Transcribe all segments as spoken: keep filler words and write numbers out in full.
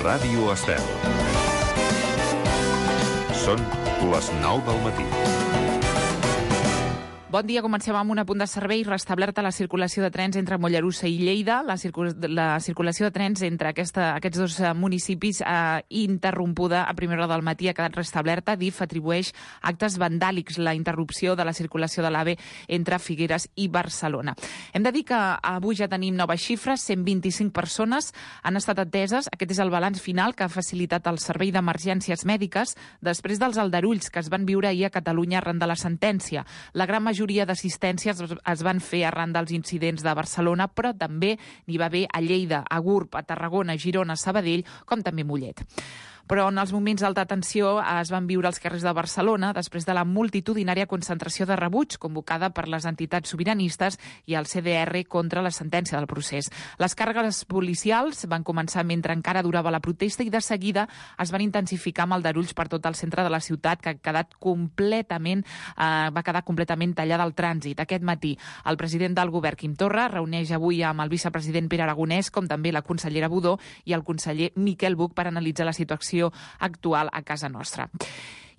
Ràdio Estel. Són les nou del matí. Bon dia, comencem amb un apunt de servei. Restablerta la circulació de trens entre Mollerussa i Lleida. La, circul la circulació de trens entre aquesta, aquests dos municipis eh, interrompuda a primera hora del matí ha quedat restablerta. D I F atribueix actes vandàlics la interrupció de la circulació de l'AVE entre Figueres i Barcelona. Hem de dir que avui ja tenim noves xifres. cent vint-i-cinc persones han estat ateses. Aquest és el balanç final que ha facilitat el Servei d'Emergències Mèdiques després dels aldarulls que es van viure ahir a Catalunya arran de la sentència. La gran majoria majoria d'assistències es van fer arran dels incidents de Barcelona, però també n'hi va haver a Lleida, a Gurb, a Tarragona, a Girona, a Sabadell, com també a Mollet. Però en els moments d'alta tensió es van viure als carrers de Barcelona després de la multitudinària concentració de rebuig convocada per les entitats sobiranistes i el C D R contra la sentència del procés. Les càrregues policials van començar mentre encara durava la protesta i de seguida es van intensificar amb aldarulls per tot el centre de la ciutat, que ha quedat completament, eh, va quedar completament tallada al trànsit. Aquest matí el president del govern, Quim Torra, reuneix avui amb el vicepresident Pere Aragonès, com també la consellera Budó i el conseller Miquel Buch per analitzar la situació actual a casa nostra.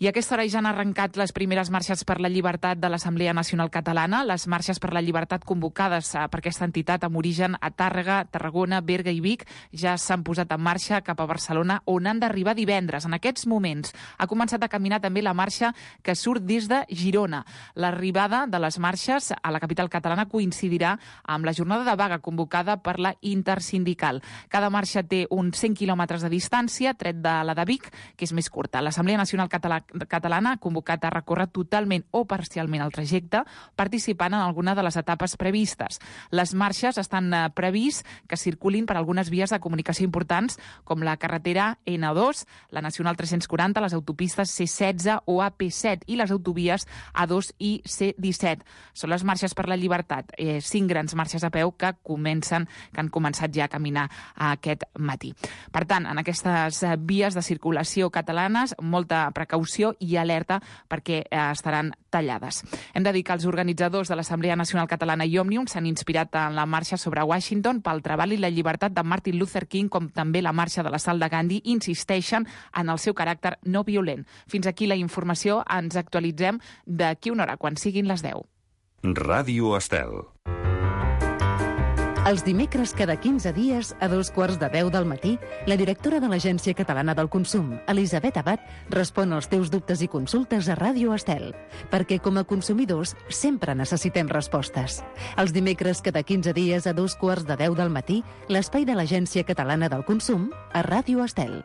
I a aquesta hora ja han arrencat les primeres marxes per la llibertat de l'Assemblea Nacional Catalana, les marxes per la llibertat convocades per aquesta entitat amb origen a Tàrrega, Tarragona, Berga i Vic ja s'han posat en marxa cap a Barcelona, on han d'arribar divendres. En aquests moments ha començat a caminar també la marxa que surt des de Girona. L'arribada de les marxes a la capital catalana coincidirà amb la jornada de vaga convocada per la Intersindical. Cada marxa té uns cent quilòmetres de distància, tret de la de Vic, que és més curta. L'Assemblea Nacional Catalana catalana ha convocat a recórrer totalment o parcialment el trajecte, participant en alguna de les etapes previstes. Les marxes estan previst que circulin per algunes vies de comunicació importants, com la carretera N dos, la Nacional tres-cents quaranta, les autopistes C setze o A P set i les autovies A dos i C disset. Són les marxes per la llibertat, eh, cinc grans marxes a peu que comencen, que han començat ja a caminar aquest matí. Per tant, en aquestes vies de circulació catalanes, molta precaució i alerta perquè eh, estaran tallades. Hem de dir que els organitzadors de l'Assemblea Nacional Catalana i Òmnium s'han inspirat en la marxa sobre Washington pel treball i la llibertat de Martin Luther King, com també la marxa de la Sal de Gandhi, insisteixen en el seu caràcter no violent. Fins aquí la informació. Ens actualitzem d'aquí una hora, quan siguin les deu. Ràdio Estel. Els dimecres cada quinze dies, a dos quarts de deu del matí, la directora de l'Agència Catalana del Consum, Elisabet Abad, respon als teus dubtes i consultes a Ràdio Estel, perquè com a consumidors sempre necessitem respostes. Els dimecres cada quinze dies, a dos quarts de deu del matí, l'espai de l'Agència Catalana del Consum a Ràdio Estel.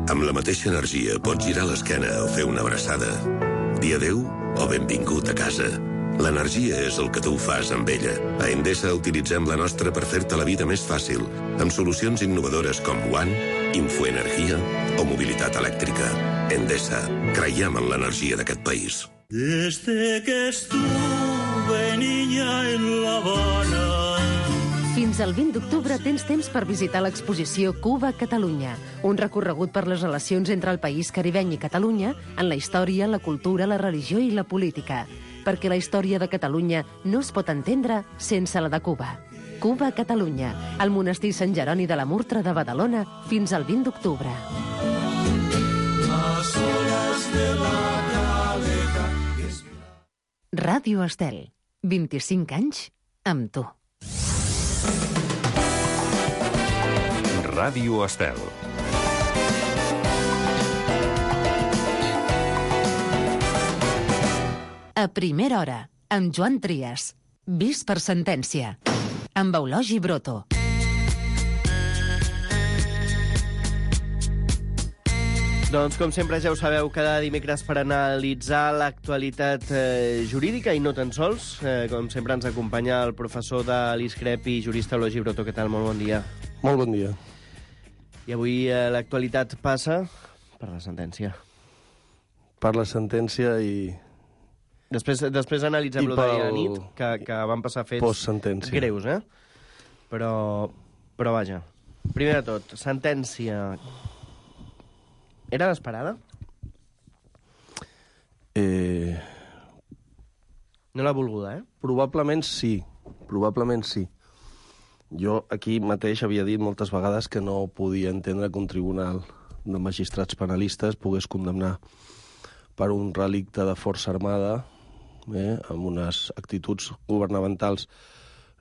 Amb la mateixa energia pots girar l'esquena o fer una abraçada. Dir adéu o benvingut a casa. L'energia és el que tu fas amb ella. A Endesa utilitzem la nostra per fer-te la vida més fàcil, amb solucions innovadores com One, Infoenergia o mobilitat elèctrica. Endesa, creiem en l'energia d'aquest país. Desde que estuve niña en La Habana. Fins al vint d'octubre tens temps per visitar l'exposició Cuba-Catalunya, un recorregut per les relacions entre el país caribeny i Catalunya en la història, la cultura, la religió i la política. Perquè la història de Catalunya no es pot entendre sense la de Cuba. Cuba-Catalunya, al monestir Sant Jeroni de la Murtra de Badalona, fins al vint d'octubre. Ràdio Estel, vint-i-cinc anys amb tu. Ràdio Estel. A primera hora, amb Joan Trias. Vist per sentència. Amb Eulogi Broto. Doncs, com sempre, ja ho sabeu, cada dimecres per analitzar l'actualitat eh, jurídica i no tan sols. Eh, com sempre ens acompanya el professor de l'ISCREP i jurista Eulogi Broto. Què tal? Molt bon dia. Molt bon dia. I avui eh, l'actualitat passa per la sentència. Per la sentència i... Després, després analitzem-lo d'ahir a nit, que, que van passar fets greus, eh? Però, però vaja, primer de tot, sentència... Era l'esperada? Eh... No l'ha volguda, eh? Probablement sí, probablement sí. Jo aquí mateix havia dit moltes vegades que no podia entendre que un tribunal de magistrats penalistes pogués condemnar per un relicte de força armada, eh, amb unes actituds governamentals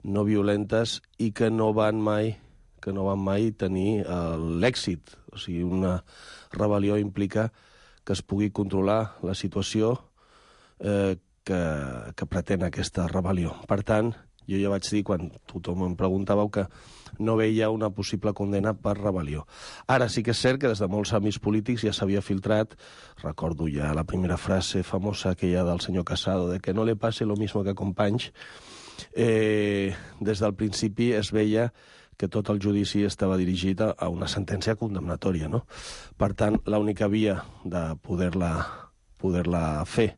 no violentes i que no van mai que no van mai tenir eh, l'èxit. O sigui, una rebel·lió implica que es pugui controlar la situació eh, que, que pretén aquesta rebel·lió. Per tant, jo ja vaig dir, quan tothom em preguntàveu, que no veia una possible condena per rebel·lió. Ara sí que és cert que des de molts àmbits polítics ja s'havia filtrat, recordo ja la primera frase famosa aquella del senyor Casado, de que no le pase lo mismo que a Companys, eh, des del principi es veia que tot el judici estava dirigit a una sentència condemnatòria, no? Per tant, l'única via de poder-la poder-la fer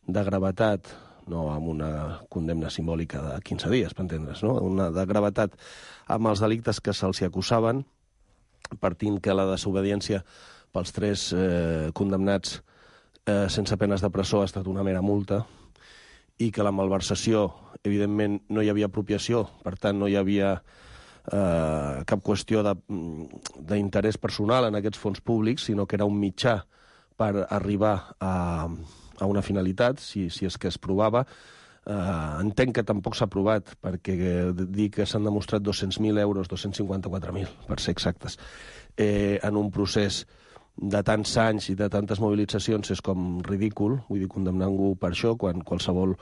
de gravetat, no amb una condemna simbòlica de quinze dies, per entendre's, no? Una de gravetat amb els delictes que se'ls acusaven, partint que la desobediència pels tres eh, condemnats eh, sense penes de presó ha estat una mera multa, i que la malversació, evidentment, no hi havia apropiació, per tant, no hi havia eh, cap qüestió d'interès personal en aquests fons públics, sinó que era un mitjà per arribar a, a una finalitat, si, si és que es provava. Eh, entenc que tampoc s'ha provat, perquè dir que s'han demostrat dos-cents mil euros, dos-cents cinquanta-quatre mil, per ser exactes, eh, en un procés de tants anys i de tantes mobilitzacions és com ridícul, vull dir, condemnar ningú per això, quan qualsevol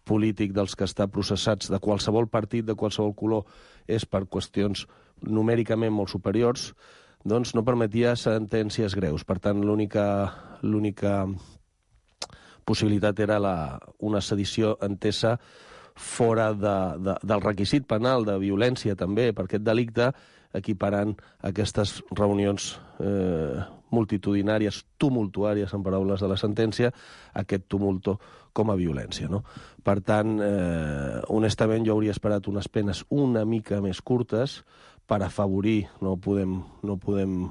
polític dels que està processats, de qualsevol partit, de qualsevol color, és per qüestions numèricament molt superiors, doncs no permetia sentències greus. Per tant, l'única l'única possibilitat era la, una sedició entesa fora de, de, del requisit penal de violència també per aquest delicte, equiparant aquestes reunions eh, multitudinàries, tumultuàries, en paraules de la sentència, aquest tumulto com a violència, no? Per tant, eh, honestament, jo hauria esperat unes penes una mica més curtes per afavorir, no podem, no podem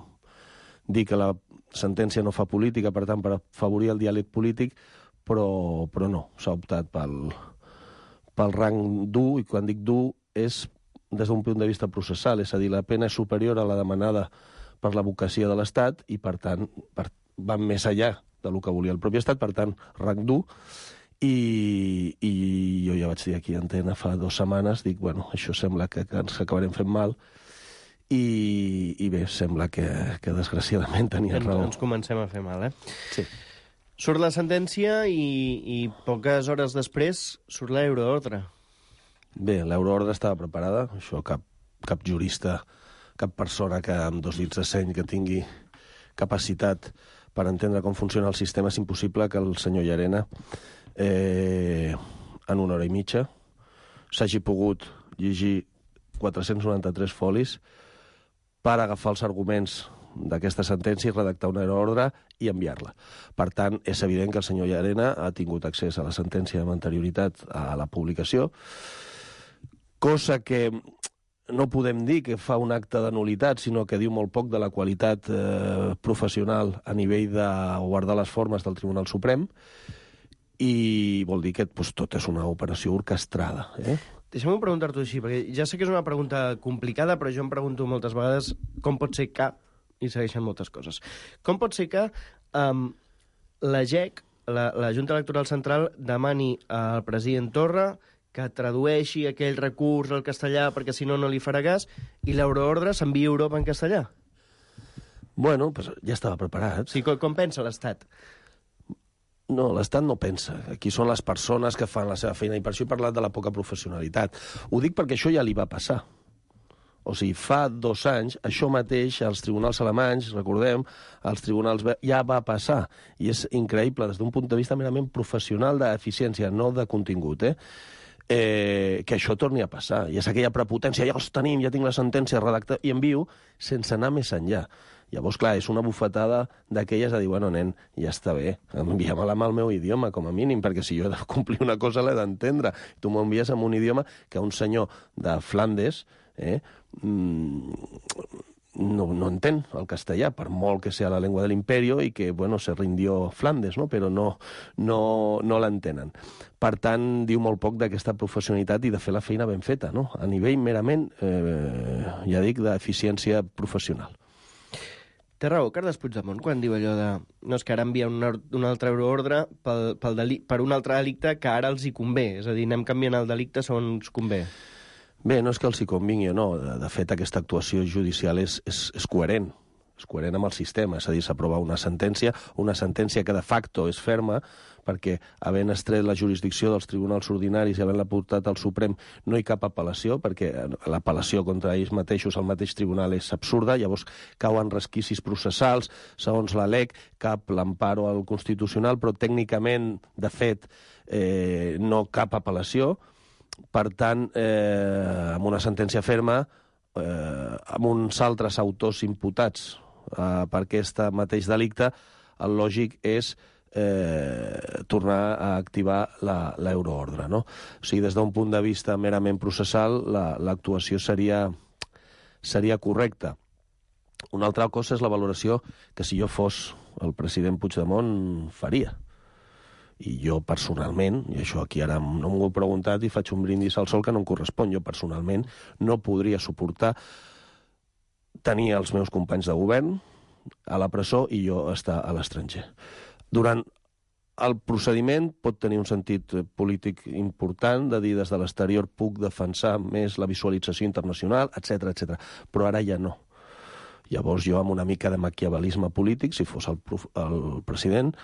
dir que la sentència no fa política, per tant, per afavorir el diàleg polític, però, però no, s'ha optat pel, pel rang dur, i quan dic dur és des d'un punt de vista processal, és a dir, la pena és superior a la demanada per l'advocacia de l'Estat i, per tant, per, van més enllà del que volia el propi Estat, per tant, rang dur, i, i jo ja vaig dir aquí a Antena fa dues setmanes, dic, bueno, això sembla que, que ens acabarem fent mal, i, i bé, sembla que, que desgraciadament tenien ens, raó. Ens comencem a fer mal, eh? Sí. Surt la sentència i, i poques hores després surt l'euroordre. Bé, l'euroordre estava preparada, això cap, cap jurista, cap persona que amb dos dits de seny que tingui capacitat per entendre com funciona el sistema, és impossible que el senyor Llarena eh, en una hora i mitja s'hagi pogut llegir quatre-cents noranta-tres folis per agafar els arguments d'aquesta sentència i redactar una ordre i enviar-la. Per tant, és evident que el senyor Llarena ha tingut accés a la sentència amb anterioritat a la publicació, cosa que no podem dir que fa un acte de nul·litat, sinó que diu molt poc de la qualitat eh, professional a nivell de guardar les formes del Tribunal Suprem, i vol dir que pues, tot és una operació orquestrada. Eh? Deixa'm preguntar-t'ho així, perquè ja sé que és una pregunta complicada, però jo em pregunto moltes vegades com pot ser que, i segueixen moltes coses, com pot ser que um, la G E C, la, la Junta Electoral Central, demani al president Torra que tradueixi aquell recurs al castellà perquè si no no li farà cas, i l'euroordre s'envia a Europa en castellà? Bueno, pues ja estava preparat. Sí, com, com pensa l'Estat? No, l'Estat no pensa. Aquí són les persones que fan la seva feina, i per això he parlat de la poca professionalitat. Ho dic perquè això ja li va passar. O sigui, fa dos anys, això mateix, als tribunals alemanys, recordem, als tribunals ja va passar. I és increïble, des d'un punt de vista merament professional d'eficiència, no de contingut, eh? Eh, que això torni a passar. I és aquella prepotència, ja els tenim, ja tinc la sentència redactada, i envio sense anar més enllà. Llavors, clar, és una bufetada d'aquelles de dir, bueno, nen, ja està bé, envia-me-la amb el meu idioma, com a mínim, perquè si jo he de complir una cosa l'he d'entendre. Tu m'ho envies en un idioma que un senyor de Flandes eh, no, no entén el castellà, per molt que sea la llengua de l'imperio i que, bueno, se rindió Flandes, no? Però no, no, no l'entenen. Per tant, diu molt poc d'aquesta professionalitat i de fer la feina ben feta, no? A nivell merament, eh, ja dic, d'eficiència professional. Té raó, Carles Puigdemont, quan diu allò de... No, és que ara envia un, un altre euroordre pel, pel deli, per un altre delicte que ara els hi convé. És a dir, anem canviant el delicte segons convé. Bé, no és que els hi convingui o no. De, de fet, aquesta actuació judicial és, és, és coherent. És coherent amb el sistema. És a dir, s'aprova una sentència, una sentència que de facto és ferma, perquè havent estret la jurisdicció dels tribunals ordinaris i havent-la portat al Suprem no hi cap apel·lació, perquè l'apel·lació contra ells mateixos al mateix tribunal és absurda, llavors cauen resquicis processals, segons la L E C, cap l'emparo al Constitucional, però tècnicament, de fet, eh, no cap apel·lació. Per tant, eh, amb una sentència ferma, eh, amb uns altres autors imputats eh, per aquest mateix delicte, el lògic és Eh, tornar a activar l'euroordre, no? O sigui, des d'un punt de vista merament processal, l'actuació la, seria, seria correcta. Una altra cosa és la valoració que si jo fos el president Puigdemont faria. I jo personalment, i això aquí ara no m'ho he preguntat i faig un brindis al sol que no em correspon, jo personalment no podria suportar tenir els meus companys de govern a la presó i jo estar a l'estranger. Durant el procediment pot tenir un sentit polític important, de dir des de l'exterior puc defensar més la visualització internacional, etcètera, etcètera. Però ara ja no. Llavors jo, amb una mica de maquiavelisme polític, si fos el, el president,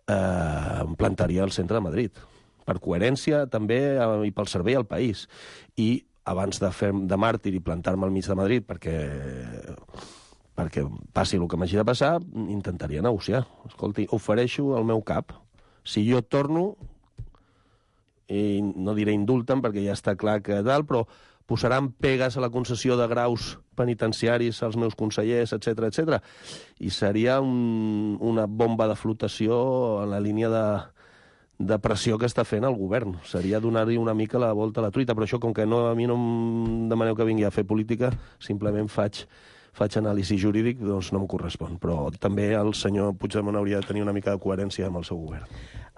eh, em plantaria al centre de Madrid. Per coherència, també, eh, i pel servei al país. I abans de fer de màrtir i plantar-me al mig de Madrid, perquè... perquè passi el que m'hagi de passar, intentaria negociar. Escolti, ofereixo el meu cap. Si jo torno, i no diré indulten, perquè ja està clar que dalt, però posaran pegues a la concessió de graus penitenciaris als meus consellers, etcètera, etcètera. I seria un, una bomba de flotació en la línia de, de pressió que està fent el govern. Seria donar-hi una mica la volta a la truita, però això, com que no, a mi no em demaneu que vingui a fer política, simplement faig... faig anàlisi jurídic, doncs no em correspon. Però també el senyor Puigdemont hauria de tenir una mica de coherència amb el seu govern.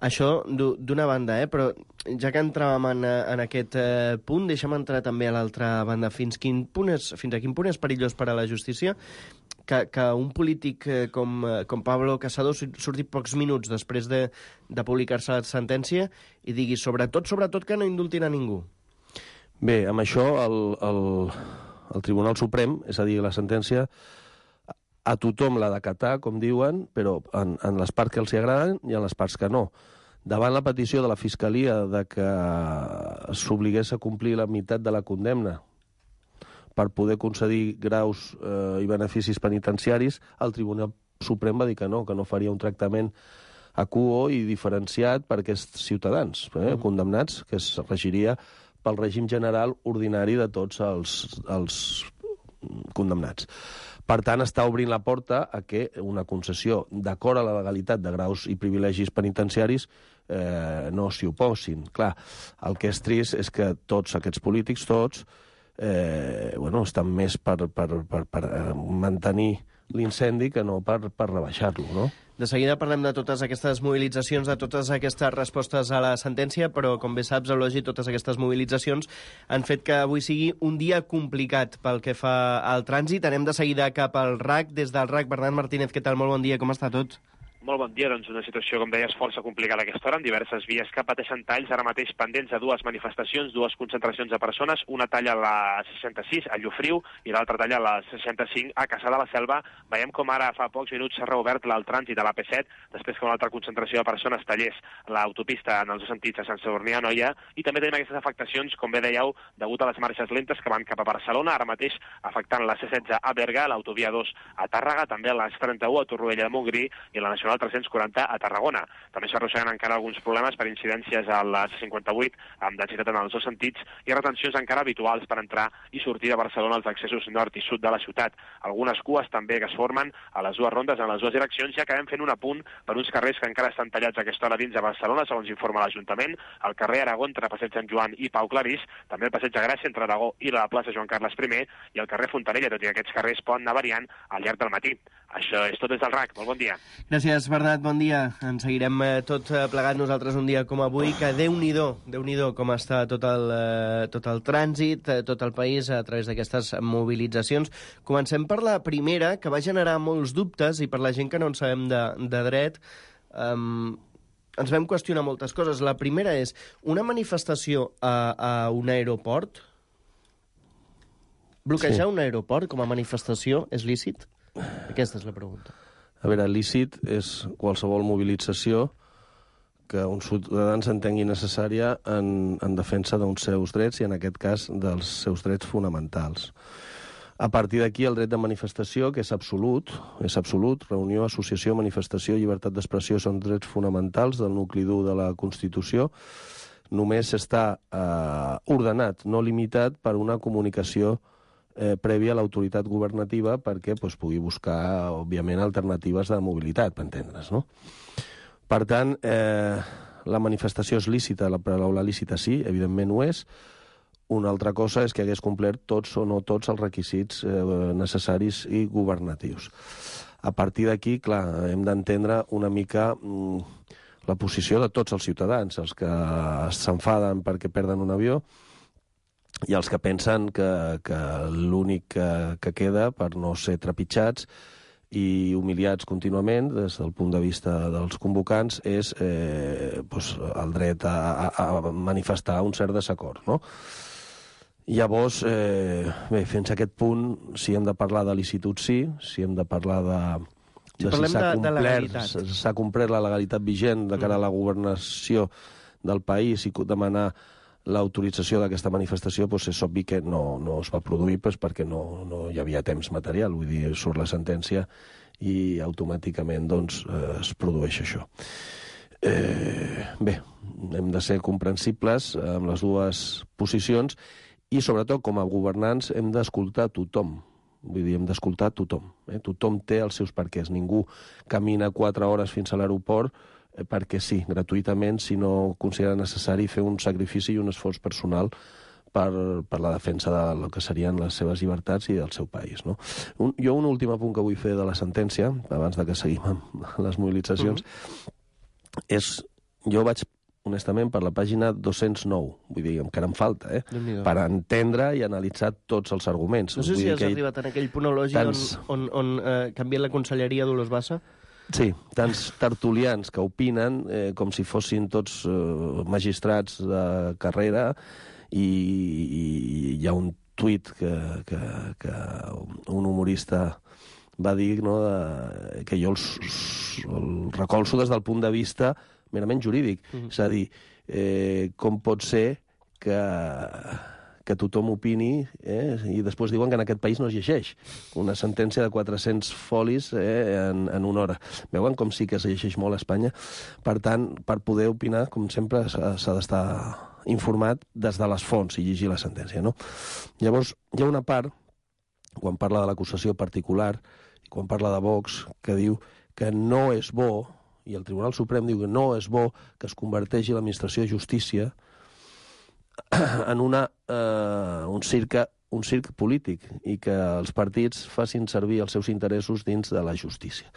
Això d'una banda, eh? Però ja que entràvem en, en aquest eh, punt, deixa'm entrar també a l'altra banda. Fins, quin punt és, fins a quin punt és perillós per a la justícia que, que un polític eh, com, com Pablo Casado surti pocs minuts després de, de publicar-se la sentència i digui sobretot, sobretot que no indultin a ningú? Bé, amb això el... el... el Tribunal Suprem, és a dir, la sentència, a tothom l'ha d'acatar, com diuen, però en, en les parts que els hi agraden i en les parts que no. Davant la petició de la Fiscalia de que s'obligués a complir la meitat de la condemna per poder concedir graus eh, i beneficis penitenciaris, el Tribunal Suprem va dir que no, que no faria un tractament acuo i diferenciat per aquests ciutadans eh, condemnats, que es regiria pel règim general ordinari de tots els, els condemnats. Per tant, està obrint la porta a que una concessió d'acord a la legalitat de graus i privilegis penitenciaris eh, no s'hi oposin. Clar, el que és trist és que tots aquests polítics, tots, eh, bueno, estan més per, per, per, per mantenir l'incendi que no per, per rebaixar-lo, no? De seguida parlem de totes aquestes mobilitzacions, de totes aquestes respostes a la sentència, però, com bé saps, Eulogi, totes aquestes mobilitzacions han fet que avui sigui un dia complicat pel que fa al trànsit. Anem de seguida cap al R A C. Des del R A C, Bernat Martínez, què tal? Molt bon dia, com està tot? Molt bon dia, doncs una situació, com deies, força complicada a aquesta hora, amb diverses vies que pateixen talls, ara mateix pendents de dues manifestacions, dues concentracions de persones, una talla a la seixanta-sis, a Llofriu, i l'altra talla a la seixanta-cinc, a Caçà de la Selva. Veiem com ara fa pocs minuts s'ha reobert el trànsit a l'A P set, després que una altra concentració de persones tallés l'autopista en els dos sentits a Sant Sadurní a Anoia, i també tenim aquestes afectacions, com bé dèieu, degut a les marxes lentes que van cap a Barcelona, ara mateix afectant la C setze a Berga, l'autovia dos a Tàrrega, també la C trenta-u a Torroella de Montgrí i la Nacional continua el tres-cents quaranta a Tarragona. També s'arrosseguen encara alguns problemes per incidències a la C cinquanta-vuit amb densitat en els dos sentits i retencions encara habituals per entrar i sortir de Barcelona als accessos nord i sud de la ciutat. Algunes cues també que es formen a les dues rondes en les dues direccions i acabem fent un apunt per uns carrers que encara estan tallats a aquesta hora dins de Barcelona, segons informa l'Ajuntament, el carrer Aragó entre Passeig Sant Joan i Pau Clarís, també el Passeig de Gràcia entre Aragó i la plaça Joan Carles primer i el carrer Fontanella, tot i que aquests carrers poden anar variant al llarg del matí. Això és tot des del R A C. Molt bon dia. Gràcies, Bernat. Bon dia. Ens seguirem eh, tot eh, plegat nosaltres un dia com avui, que Déu-n'hi-do, Déu-n'hi-do com està tot el, eh, tot el trànsit, eh, tot el país a través d'aquestes mobilitzacions. Comencem per la primera, que va generar molts dubtes, i per la gent que no en sabem de, de dret, eh, ens vam qüestionar moltes coses. La primera és, una manifestació a, a un aeroport, bloquejar sí. un aeroport com a manifestació és lícit? Aquesta és la pregunta. A veure, lícit és qualsevol mobilització que uns ciutadans entengui necessària en, en defensa d'uns seus drets i, en aquest cas, dels seus drets fonamentals. A partir d'aquí, el dret de manifestació, que és absolut, és absolut, reunió, associació, manifestació, llibertat d'expressió són drets fonamentals del nucli dur de la Constitució, només està eh, ordenat, no limitat, per una comunicació Eh, prèvia a l'autoritat governativa perquè pues, pugui buscar, òbviament, alternatives de mobilitat, per entendre's, no? Per tant, eh, la manifestació és lícita, la paraula lícita sí, evidentment ho és. Una altra cosa és que hagués complert tots o no tots els requisits eh, necessaris i governatius. A partir d'aquí, clar, hem d'entendre una mica mm, la posició de tots els ciutadans, els que s'enfaden perquè perden un avió, i els que pensen que, que l'únic que, que queda per no ser trepitjats i humiliats contínuament des del punt de vista dels convocants és eh, doncs el dret a, a, a manifestar un cert desacord, no? Llavors, eh, bé, fins a aquest punt, si hem de parlar de licitud, sí, si hem de parlar de, de si s'ha complert, s'ha complert la legalitat vigent de cara a la governació del país i demanar l'autorització d'aquesta manifestació, doncs és obvi que no, no es va produir doncs, perquè no, no hi havia temps material, vull dir, surt la sentència i automàticament doncs, eh, es produeix això. Eh, bé, hem de ser comprensibles amb les dues posicions i, sobretot, com a governants, hem d'escoltar tothom. Vull dir, hem d'escoltar tothom. Eh? Tothom té els seus perquès. Ningú camina quatre hores fins a l'aeroport perquè sí, gratuïtament, si no considera necessari fer un sacrifici i un esforç personal per, per la defensa de el que serien les seves llibertats i del seu país. No? Un, jo un últim apunt que vull fer de la sentència, abans de que seguim amb les mobilitzacions, mm-hmm. és, jo vaig, honestament, per la pàgina dos-cents nou, vull dir, encara em falta, eh? Per entendre i analitzar tots els arguments. No sé vull si has que arribat en aquell punt elogi tants... on, on, on eh, canvia la conselleria Dolors Bassa. Sí, tants tertulians que opinen eh, com si fossin tots eh, magistrats de carrera i, i hi ha un tuit que, que, que un humorista va dir, no, de, que jo els, el recolzo des del punt de vista merament jurídic. Mm-hmm. És a dir, eh, com pot ser que... que tothom opini, eh, i després diuen que en aquest país no es llegeix una sentència de quatre-cents folis eh, en, en una hora. Veuen com sí que es llegeix molt a Espanya? Per tant, per poder opinar, com sempre, s'ha d'estar informat des de les fonts i llegir la sentència, no? Llavors, hi ha una part, quan parla de l'acusació particular, i quan parla de Vox, que diu que no és bo, i el Tribunal Suprem diu que no és bo que es converteixi l'administració de justícia en una, eh, un, circ, un circ polític i que els partits facin servir els seus interessos dins de la justícia.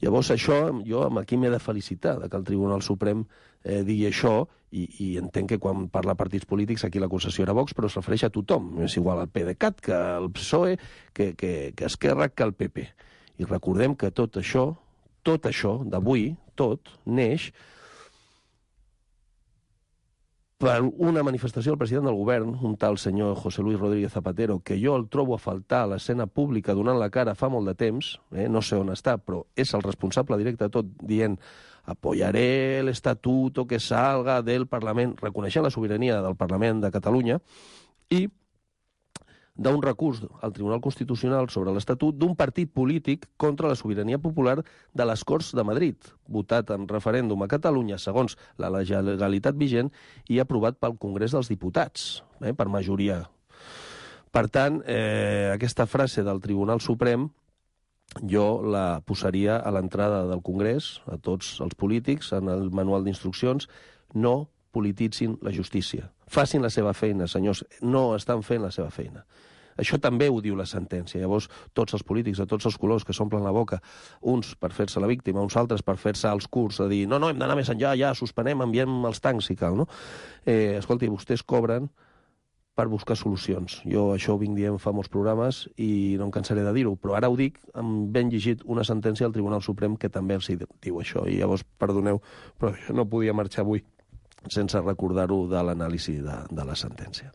Llavors, això, jo aquí m'he de felicitar de que el Tribunal Suprem eh, digui això i, i entenc que quan parla partits polítics aquí l'acusació era Vox, però es refereix a tothom. És igual al PDeCAT que al P S O E, que, que, que Esquerra, que al P P. I recordem que tot això, tot això d'avui, tot, neix per una manifestació del president del govern, un tal senyor José Luis Rodríguez Zapatero, que jo el trobo a faltar a l'escena pública donant la cara fa molt de temps, eh? No sé on està, però és el responsable directe de tot, dient apoyaré el estatuto que salga del Parlament, reconeixent la sobirania del Parlament de Catalunya, i d'un recurs al Tribunal Constitucional sobre l'Estatut d'un partit polític contra la sobirania popular de les Corts de Madrid, votat en referèndum a Catalunya segons la legalitat vigent i aprovat pel Congrés dels Diputats, eh, per majoria. Per tant, eh, aquesta frase del Tribunal Suprem jo la posaria a l'entrada del Congrés, a tots els polítics, en el manual d'instruccions: no polititzin la justícia. Facin la seva feina, senyors. No estan fent la seva feina. Això també ho diu la sentència. Llavors, tots els polítics de tots els colors que s'omplen la boca, uns per fer-se la víctima, uns altres per fer-se els curts, a dir, no, no, hem d'anar més enllà, ja, suspenem, enviem els tancs si cal, no? Eh, escolti, vostès cobren per buscar solucions. Jo això ho vinc dient fa molts programes i no em cansaré de dir-ho, però ara ho dic, hem ben llegit una sentència del Tribunal Suprem que també els diu això, i llavors, perdoneu, però jo no podia marxar avui sense recordar-ho de l'anàlisi de, de la sentència.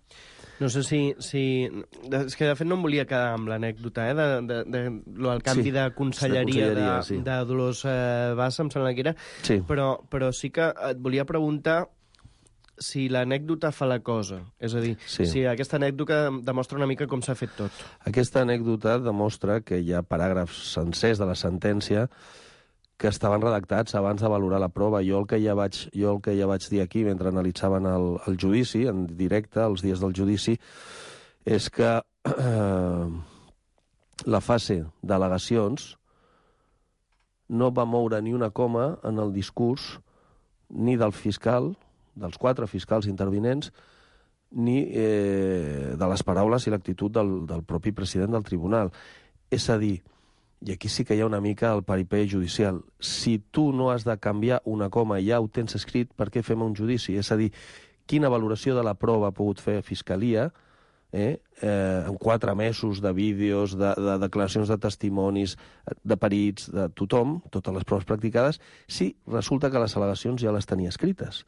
No sé si, si... És que, de fet, no em volia quedar amb l'anècdota, eh, de, de, de, de, el canvi sí, de conselleria de, de, sí. de Dolors eh, Bassa, em sembla que era, sí. però, però sí que et volia preguntar si l'anècdota fa la cosa. És a dir, sí. si aquesta anècdota demostra una mica com s'ha fet tot. Aquesta anècdota demostra que hi ha paràgrafs sencers de la sentència que estaven redactats abans de valorar la prova. Jo el que ja vaig, jo el que ja vaig dir aquí mentre analitzaven el, el judici, en directe, els dies del judici, és que eh, la fase d'al·legacions no va moure ni una coma en el discurs ni del fiscal, dels quatre fiscals intervinents, ni eh, de les paraules i l'actitud del, del propi president del tribunal. És a dir, i aquí sí que hi ha una mica el paripé judicial, si tu no has de canviar una coma i ja ho tens escrit, per què fem un judici? És a dir, quina valoració de la prova ha pogut fer Fiscalia eh, eh, en quatre mesos de vídeos, de, de declaracions de testimonis, de perits, de tothom, totes les proves practicades, si resulta que les al·legacions ja les tenia escrites.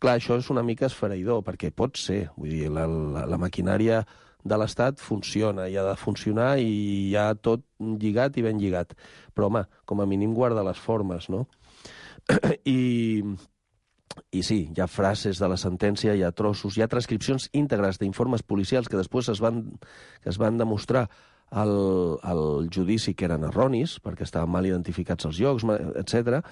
Clar, això és una mica esfereïdor, perquè pot ser, vull dir, la, la, la maquinària de l'Estat funciona, i ha de funcionar i hi ha tot lligat i ben lligat. Però, home, com a mínim guarda les formes, no? I, i sí, hi ha frases de la sentència, hi ha trossos, hi ha transcripcions íntegres d'informes policials que després es van, que es van demostrar al, al judici que eren erronis, perquè estaven mal identificats els llocs, etcètera,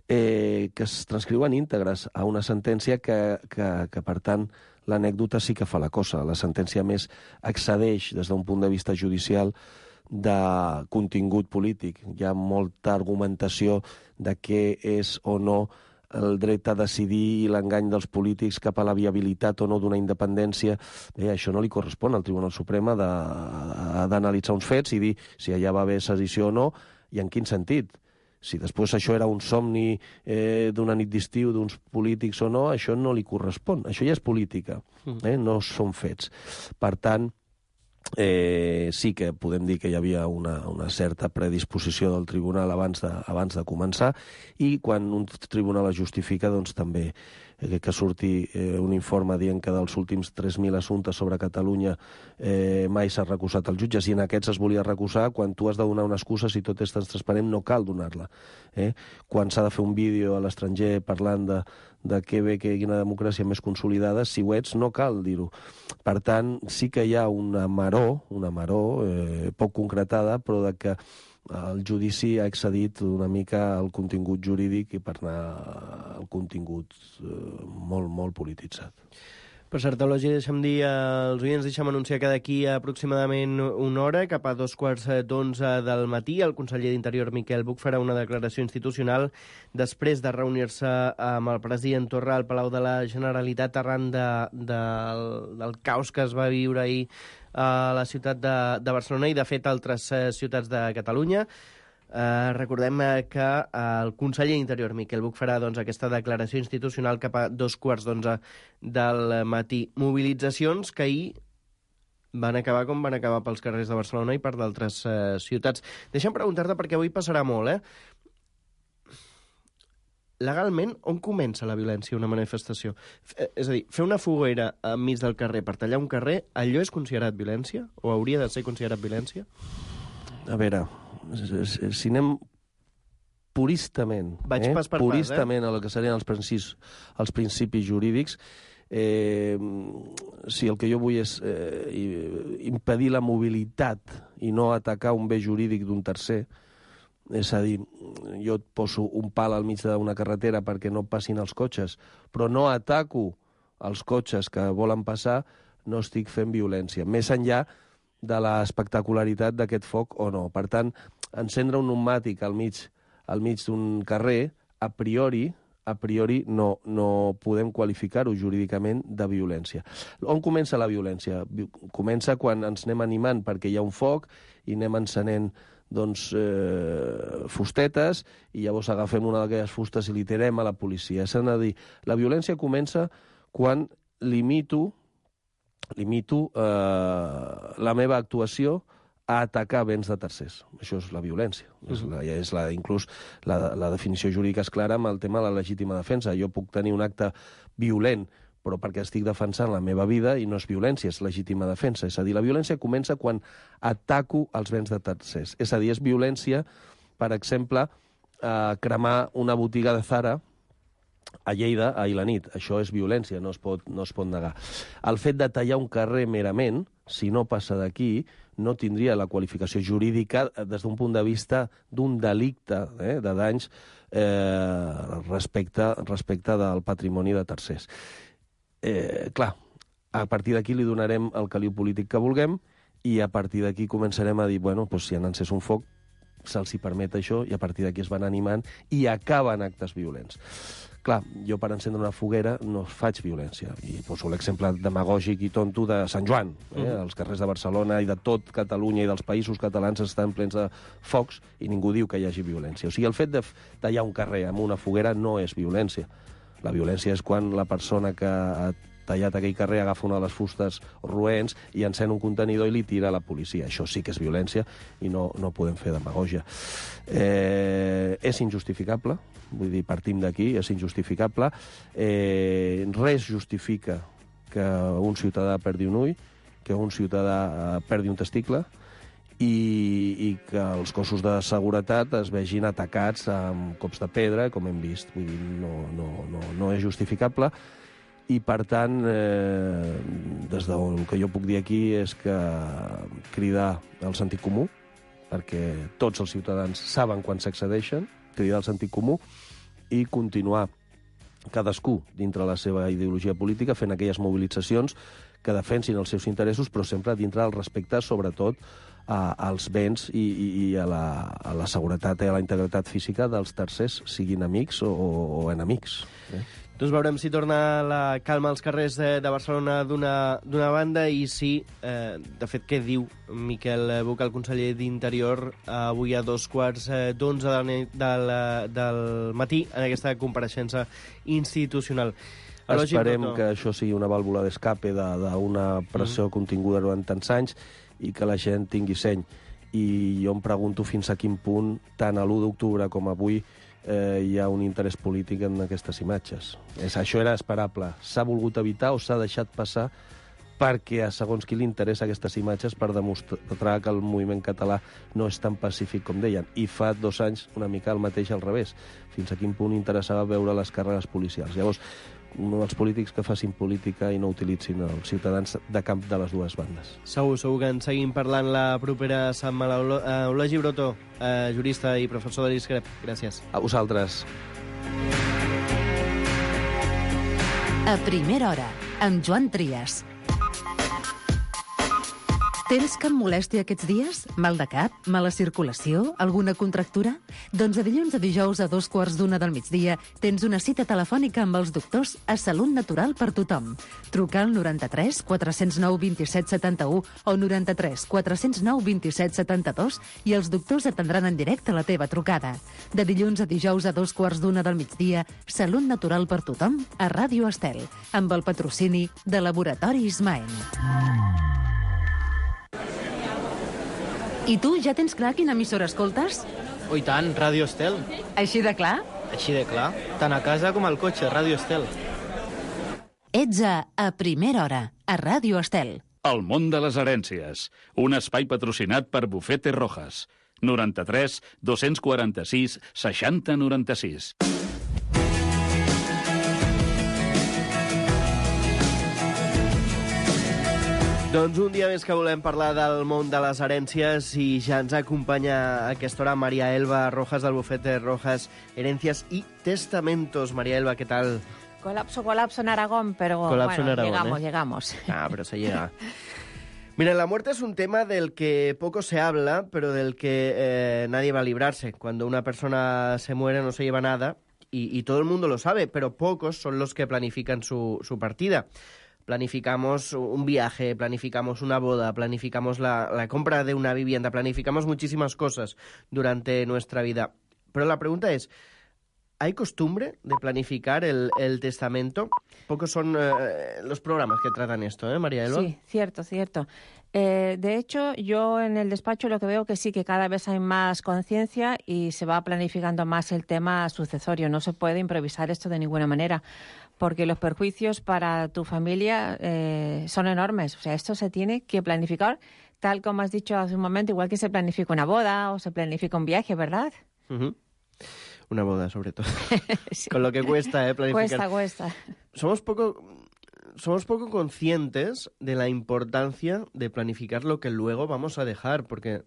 eh, que es transcriuen íntegres a una sentència que, que, que per tant, l'anècdota sí que fa la cosa. La sentència, més, excedeix des d'un punt de vista judicial de contingut polític. Hi ha molta argumentació de què és o no el dret a decidir i l'engany dels polítics cap a la viabilitat o no d'una independència. Bé, això no li correspon al Tribunal Suprem d'analitzar uns fets i dir si allà va haver sedició o no i en quin sentit. Si després això era un somni eh, d'una nit d'estiu d'uns polítics o no, això no li correspon. Això ja és política, eh? No són fets. Per tant, eh, sí que podem dir que hi havia una, una certa predisposició del tribunal abans de, abans de començar, i quan un tribunal es justifica, doncs també eh, que surti eh, un informe dient que dels últims tres mil assumptes sobre Catalunya eh, mai s'ha recusat als jutges, i en aquests es volia recusar. Quan tu has de donar una excusa, si tot és transparent, no cal donar-la. Eh? Quan s'ha de fer un vídeo a l'estranger parlant de, de què bé que hi ha una democràcia més consolidada, si ho ets, no cal dir-ho. Per tant, sí que hi ha una maror, una maror eh, poc concretada, però de que el judici ha excedit una mica el contingut jurídic i per anar al contingut eh, molt, molt polititzat. Per cert, Elogi, deixa'm dir als oients, deixa'm anunciar que d'aquí aproximadament una hora, cap a dos quarts d'onze del matí, el conseller d'Interior, Miquel Buch, farà una declaració institucional després de reunir-se amb el president Torra al Palau de la Generalitat arran de, de, del caos que es va viure ahir a la ciutat de, de Barcelona i, de fet, altres ciutats de Catalunya. Eh, recordem que el conseller d'Interior, Miquel Buch, farà doncs, aquesta declaració institucional cap a dos quarts d'onze del matí. Mobilitzacions que ahir van acabar com van acabar pels carrers de Barcelona i per d'altres eh, ciutats. Deixa'm preguntar-te, perquè avui passarà molt, eh? Legalment, on comença la violència una manifestació? F és a dir, fer una foguera enmig del carrer per tallar un carrer, allò és considerat violència? O hauria de ser considerat violència? A veure, si anem puristament, Vaig eh? pas per puristament pas, eh? a lo que serien els principis, els principis jurídics, eh, si el que jo vull és eh, impedir la mobilitat i no atacar un bé jurídic d'un tercer, és a dir, jo et poso un pal al mig d'una carretera perquè no passin els cotxes, però no ataco els cotxes que volen passar, no estic fent violència, més enllà de l'espectacularitat d'aquest foc o no. Per tant, encendre un pneumàtic al mig, al mig d'un carrer, a priori, a priori no, no podem qualificar-ho jurídicament de violència. On comença la violència? Comença quan ens anem animant perquè hi ha un foc i anem encenent doncs, eh, fustetes i llavors agafem una d'aquelles fustes i li tirem a la policia. És a dir, la violència comença quan limito, limito eh, la meva actuació a atacar béns de tercers. Això és la violència. Uh-huh. És la, és la, inclús la, la definició jurídica és clara amb el tema de la legítima defensa. Jo puc tenir un acte violent, però perquè estic defensant la meva vida i no és violència, és legítima defensa. És a dir, la violència comença quan ataco els béns de tercers. És a dir, és violència, per exemple, eh, cremar una botiga de Zara a Lleida ahir la nit. Això és violència, no es pot, no es pot negar. El fet de tallar un carrer merament, si no passa d'aquí, no tindria la qualificació jurídica des d'un punt de vista d'un delicte eh, de danys eh, respecte, respecte del patrimoni de tercers. Eh, clar, a partir d'aquí li donarem el caliu polític que vulguem i a partir d'aquí començarem a dir, bueno, doncs si han encès un foc, se'ls hi permet això i a partir d'aquí es van animant i acaben actes violents. Clar, jo per encendre una foguera no faig violència. I poso l'exemple demagògic i tonto de Sant Joan. Eh? Uh-huh. Els carrers de Barcelona i de tot Catalunya i dels països catalans estan plens de focs i ningú diu que hi hagi violència. O sigui, el fet de tallar un carrer amb una foguera no és violència. La violència és quan la persona que ha tallat aquell carrer agafa una de les fustes roents i encén un contenidor i li tira a la policia. Això sí que és violència i no, no podem fer demagògia. Eh, és injustificable, vull dir, partim d'aquí, és injustificable. Eh, res justifica que un ciutadà perdi un ull, que un ciutadà perdi un testicle i, i que els cossos de seguretat es vegin atacats amb cops de pedra, com hem vist. Vull dir, no, no, no, no és justificable. I, per tant, eh, des del que jo puc dir aquí és que cridar al sentit comú, perquè tots els ciutadans saben quan s'excedeixen, cridar al sentit comú i continuar cadascú dintre la seva ideologia política fent aquelles mobilitzacions que defensin els seus interessos, però sempre dintre del respecte, sobretot, a, als béns i, i, i a, la, a la seguretat i a la integritat física dels tercers, siguin amics o, o enemics. Eh? Doncs veurem si torna la calma als carrers de, de Barcelona d'una banda i si, eh, de fet, què diu Miquel Buch, el conseller d'Interior, avui a dos quarts d'onze del, del, del matí en aquesta compareixença institucional. Esperem que això sigui una vàlvula d'escape d'una pressió mm. continguda durant tants anys i que la gent tingui seny. I jo em pregunto fins a quin punt, tant a l'u d'octubre com avui, eh, hi ha un interès polític en aquestes imatges. És, això era esperable. S'ha volgut evitar o s'ha deixat passar perquè a segons qui li interessa aquestes imatges per demostrar que el moviment català no és tan pacífic com deien. I fa dos anys una mica el mateix al revés. Fins a quin punt interessava veure les càrregues policials. Llavors, els polítics que facin política i no utilitzin els ciutadans de camp de les dues bandes. Segur, segur que en seguim parlant la propera setmana. Eulogi Broto, eh, jurista i professor de l'I S C R E P, gràcies. A vosaltres. A primera hora, amb Joan Trias. Tens cap molèstia aquests dies? Mal de cap? Mala circulació? Alguna contractura? Doncs de dilluns a dijous a dos quarts d'una del migdia tens una cita telefònica amb els doctors a Salut Natural per tothom. Truca al noranta-tres quatre zero nou vint set setanta-u o noranta-tres quatre zero nou vint set setanta-dos i els doctors atendran en directe la teva trucada. De dilluns a dijous a dos quarts d'una del migdia, Salut Natural per tothom a Ràdio Estel, amb el patrocini de Laboratori Ismael. I tu, ja tens clar quina emissora escoltes? Oh, i tant, Ràdio Estel. Així de clar? Així de clar. Tant a casa com al cotxe, Ràdio Estel. Ets a A Primera Hora, a Ràdio Estel. El món de les herències. Un espai patrocinat per Bufete Rojas. noranta-tres dos-cents quaranta-sis seixanta noranta-sis. Doncs un dia més que volem parlar del món de les herències i ja ens acompanya a aquesta hora María Elba Rojas del bufete Rojas Herencias y Testamentos. María Elba, ¿qué tal? Colapso, colapso en Aragón, pero colapso bueno, en Aragón, llegamos, ¿eh? llegamos. Ah, pero se llega. Mira, la muerte es un tema del que poco se habla, pero del que eh, nadie va a librarse. Cuando una persona se muere no se lleva nada y, y todo el mundo lo sabe, pero pocos son los que planifican su, su partida. Planificamos un viaje, planificamos una boda, planificamos la, la compra de una vivienda, planificamos muchísimas cosas durante nuestra vida. Pero la pregunta es, ¿hay costumbre de planificar el, el testamento? Pocos son eh, los programas que tratan esto, ¿eh, María Elba? Sí, cierto, cierto. Eh, de hecho, yo en el despacho lo que veo que sí, que cada vez hay más conciencia y se va planificando más el tema sucesorio. No se puede improvisar esto de ninguna manera, porque los perjuicios para tu familia eh, son enormes. O sea, esto se tiene que planificar, tal como has dicho hace un momento, igual que se planifica una boda o se planifica un viaje, ¿verdad? Uh-huh. Una boda, sobre todo. Sí. Con lo que cuesta, ¿eh? Planificar. Cuesta, cuesta. Somos poco, somos poco conscientes de la importancia de planificar lo que luego vamos a dejar, porque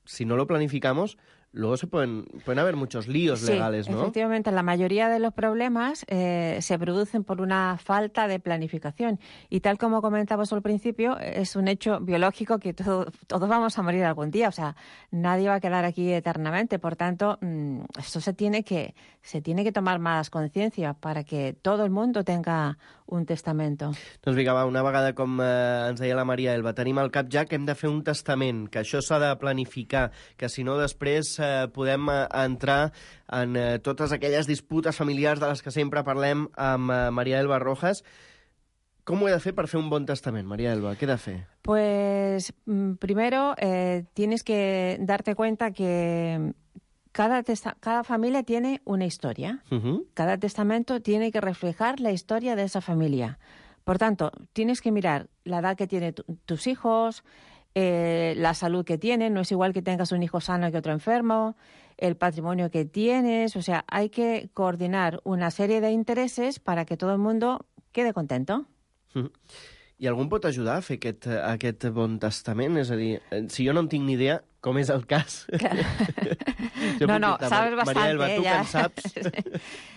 si no lo planificamos, luego se pueden, pueden haber muchos líos sí, legales, ¿no? Efectivamente, la mayoría de los problemas eh, se producen por una falta de planificación. Y tal como comentabas al principio, es un hecho biológico que todo, todos vamos a morir algún día. O sea, nadie va a quedar aquí eternamente. Por tanto, mmm, esto se tiene que, se tiene que tomar más conciencia para que todo el mundo tenga un testamento. Doncs vinga, va, una vegada, com eh, ens deia la Maria Elba, tenim al cap ja que hem de fer un testament, que això s'ha de planificar, que si no després eh, podem eh, entrar en eh, totes aquelles disputes familiars de les que sempre parlem amb eh, Maria Elba Rojas. Com ho he de fer per fer un bon testament, Maria Elba? Què he de fer? Pues primero eh, tienes que darte cuenta que Cada, testa- cada familia tiene una historia. Uh-huh. Cada testamento tiene que reflejar la historia de esa familia. Por tanto, tienes que mirar la edad que tienen tu- tus hijos, eh, la salud que tienen. No es igual que tengas un hijo sano que otro enfermo, el patrimonio que tienes. O sea, hay que coordinar una serie de intereses para que todo el mundo quede contento. Uh-huh. I algú em pot ajudar a fer aquest, aquest bon testament? És a dir, si jo no en tinc ni idea, com és el cas? no, no, sabes bastante. María Elba, ¿tú ya. qué sabes?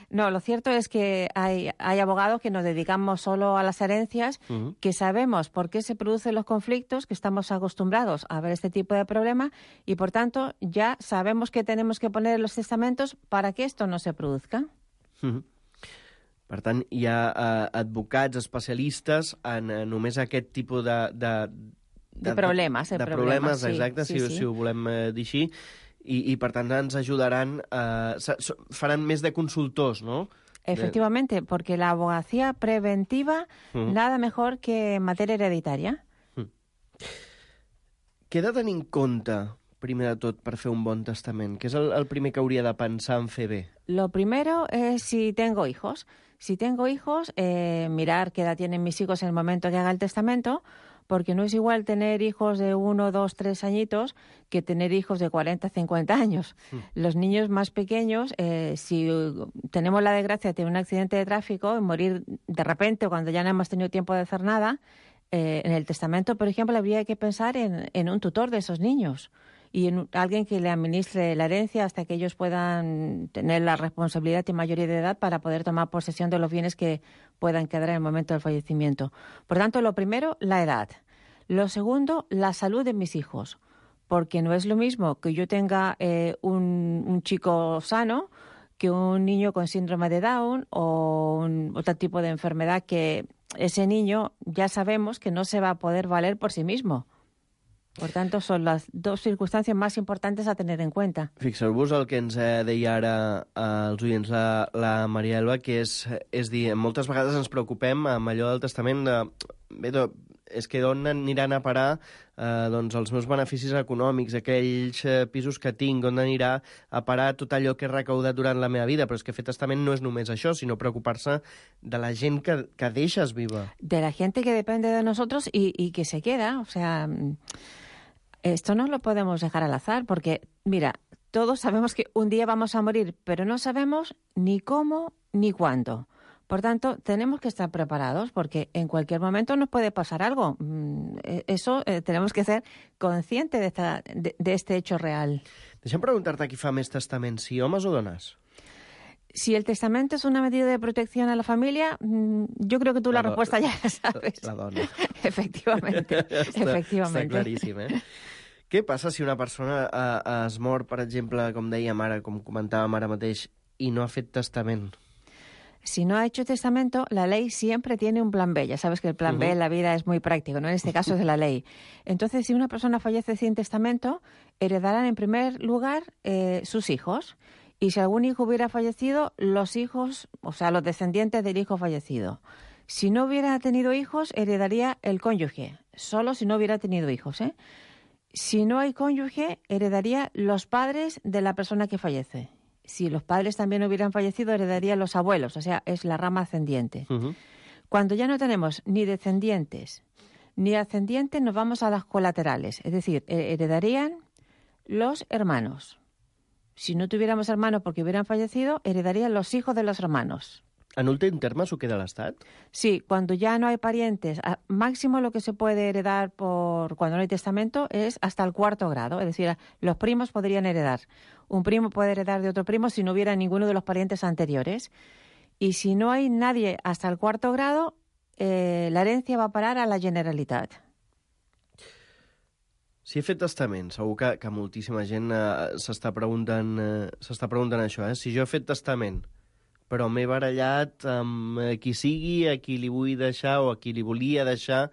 No, lo cierto es que hay, hay abogados que nos dedicamos solo a las herencias, uh-huh. que sabemos por qué se producen los conflictos, que estamos acostumbrados a ver este tipo de problema y, por tanto, ya sabemos que tenemos que poner en los testamentos para que esto no se produzca. Uh-huh. Per tant, hi ha uh, advocats especialistes en uh, només aquest tipus de... De, de, de problemes. De, de problemes, sí, exacte, sí, si, sí. si ho volem uh, dir així. I, I, per tant, ens ajudaran... Uh, faran més de consultors, no? Efectivamente, de... porque la abogacía preventiva, uh-huh. nada mejor que en materia hereditaria. Uh-huh. Què he de tenir en compte, primer de tot, per fer un bon testament? Què és el, el primer que hauria de pensar en fer bé? Lo primero es si tengo hijos. Si tengo hijos, eh, mirar qué edad tienen mis hijos en el momento que haga el testamento, porque no es igual tener hijos de uno, dos, tres añitos que tener hijos de cuarenta, cincuenta años. Mm. Los niños más pequeños, eh, si tenemos la desgracia de tener un accidente de tráfico y morir de repente cuando ya no hemos tenido tiempo de hacer nada, eh, en el testamento, por ejemplo, habría que pensar en, en un tutor de esos niños y en alguien que le administre la herencia hasta que ellos puedan tener la responsabilidad y mayoría de edad para poder tomar posesión de los bienes que puedan quedar en el momento del fallecimiento. Por tanto, lo primero, la edad. Lo segundo, la salud de mis hijos, porque no es lo mismo que yo tenga eh, un, un chico sano que un niño con síndrome de Down o un, otro tipo de enfermedad que ese niño ya sabemos que no se va a poder valer por sí mismo. Per tant, són les dues circumstàncies més importants a tenir en compte. Fixeu-vos el que ens eh, deia ara eh, els oients la, la Maria Elba, que és, és dir, moltes vegades ens preocupem amb allò del testament de... Bé, do, és que d'on aniran a parar eh, doncs els meus beneficis econòmics, aquells eh, pisos que tinc, on anirà a parar tot allò que he recaudat durant la meva vida. Però és que fer testament no és només això, sinó preocupar-se de la gent que, que deixes viva. De la gente que depende de nosotros y, y que se queda, o sea... Esto no lo podemos dejar al azar porque, mira, todos sabemos que un día vamos a morir, pero no sabemos ni cómo ni cuándo. Por tanto, tenemos que estar preparados porque en cualquier momento nos puede pasar algo. Eso eh, tenemos que ser conscientes de, esta, de, de este hecho real. Deixa'm preguntar-te qui fa més testament, si homes o dones? Si el testamento es una medida de protección a la familia, yo creo que tú la, la respuesta ya la sabes. La dona. Efectivamente, està, efectivamente. Està claríssim, eh? Què passa si una persona eh, es mor, per exemple, com dèiem ara, com comentàvem ara mateix, i no ha fet testament? Si no ha hecho testamento, la ley siempre tiene un plan B. Ya sabes que el plan uh-huh. B en la vida es muy práctico, ¿no? En este caso es de la ley. Entonces, si una persona fallece sin testamento, heredarán en primer lugar eh, sus hijos. Y si algún hijo hubiera fallecido, los hijos, o sea, los descendientes del hijo fallecido. Si no hubiera tenido hijos, heredaría el cónyuge. Solo si no hubiera tenido hijos, ¿eh? Si no hay cónyuge, heredaría los padres de la persona que fallece. Si los padres también hubieran fallecido, heredarían los abuelos, o sea, es la rama ascendiente. Uh-huh. Cuando ya no tenemos ni descendientes ni ascendientes, nos vamos a las colaterales, es decir, heredarían los hermanos. Si no tuviéramos hermanos porque hubieran fallecido, heredarían los hijos de los hermanos. En últim terme s'ho queda l'Estat? Sí, cuando ya no hay parientes, máximo lo que se puede heredar por cuando no hay testamento es hasta el cuarto grado, es decir, los primos podrían heredar. Un primo puede heredar de otro primo si no hubiera ninguno de los parientes anteriores. Y si no hay nadie hasta el cuarto grado, eh, la herencia va a parar a la Generalitat. Si he fet testament, segur que, que moltíssima gent eh, s'està preguntant, eh, s'està preguntant això, eh? Si jo he fet testament, però m'he barallat amb qui sigui, a qui li vull deixar o a qui li volia deixar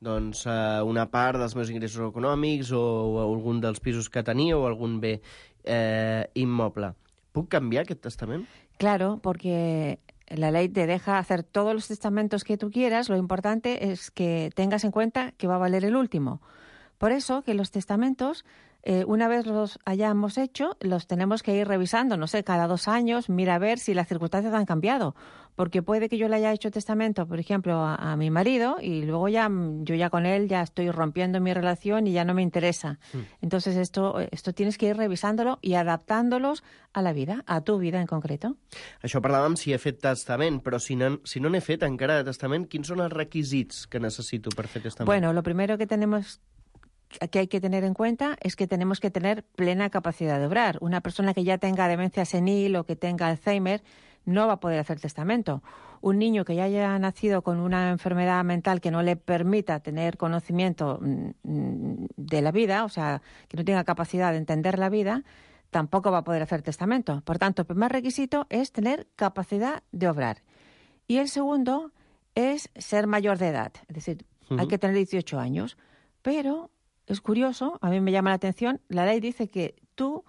doncs, una part dels meus ingressos econòmics o, o algun dels pisos que tenia o algun bé eh, immoble. ¿Puc cambiar aquest testament? Claro, porque la ley te deja hacer todos los testamentos que tú quieras. Lo importante es que tengas en cuenta que va a valer el último. Por eso que los testamentos, eh, una vez los hayamos hecho, los tenemos que ir revisando, no sé, cada dos años, mira a ver si las circunstancias han cambiado. Porque puede que yo le haya hecho testamento, por ejemplo, a, a mi marido y luego ya yo ya con él ya estoy rompiendo mi relación y ya no me interesa. Mm. Entonces esto, esto tienes que ir revisándolo y adaptándolos a la vida, a tu vida en concreto. Això parlàvem si he fet testament, però si no, si no n'he fet encara de testament, quins són els requisits que necessito per fer testament? Bueno, lo primero que tenemos que hay que tener en cuenta es que tenemos que tener plena capacidad de obrar. Una persona que ya tenga demencia senil o que tenga Alzheimer no va a poder hacer testamento. Un niño que ya haya nacido con una enfermedad mental que no le permita tener conocimiento de la vida, o sea, que no tenga capacidad de entender la vida, tampoco va a poder hacer testamento. Por tanto, el primer requisito es tener capacidad de obrar. Y el segundo es ser mayor de edad. Es decir, uh-huh. hay que tener dieciocho años. Pero es curioso, a mí me llama la atención, la ley dice que tú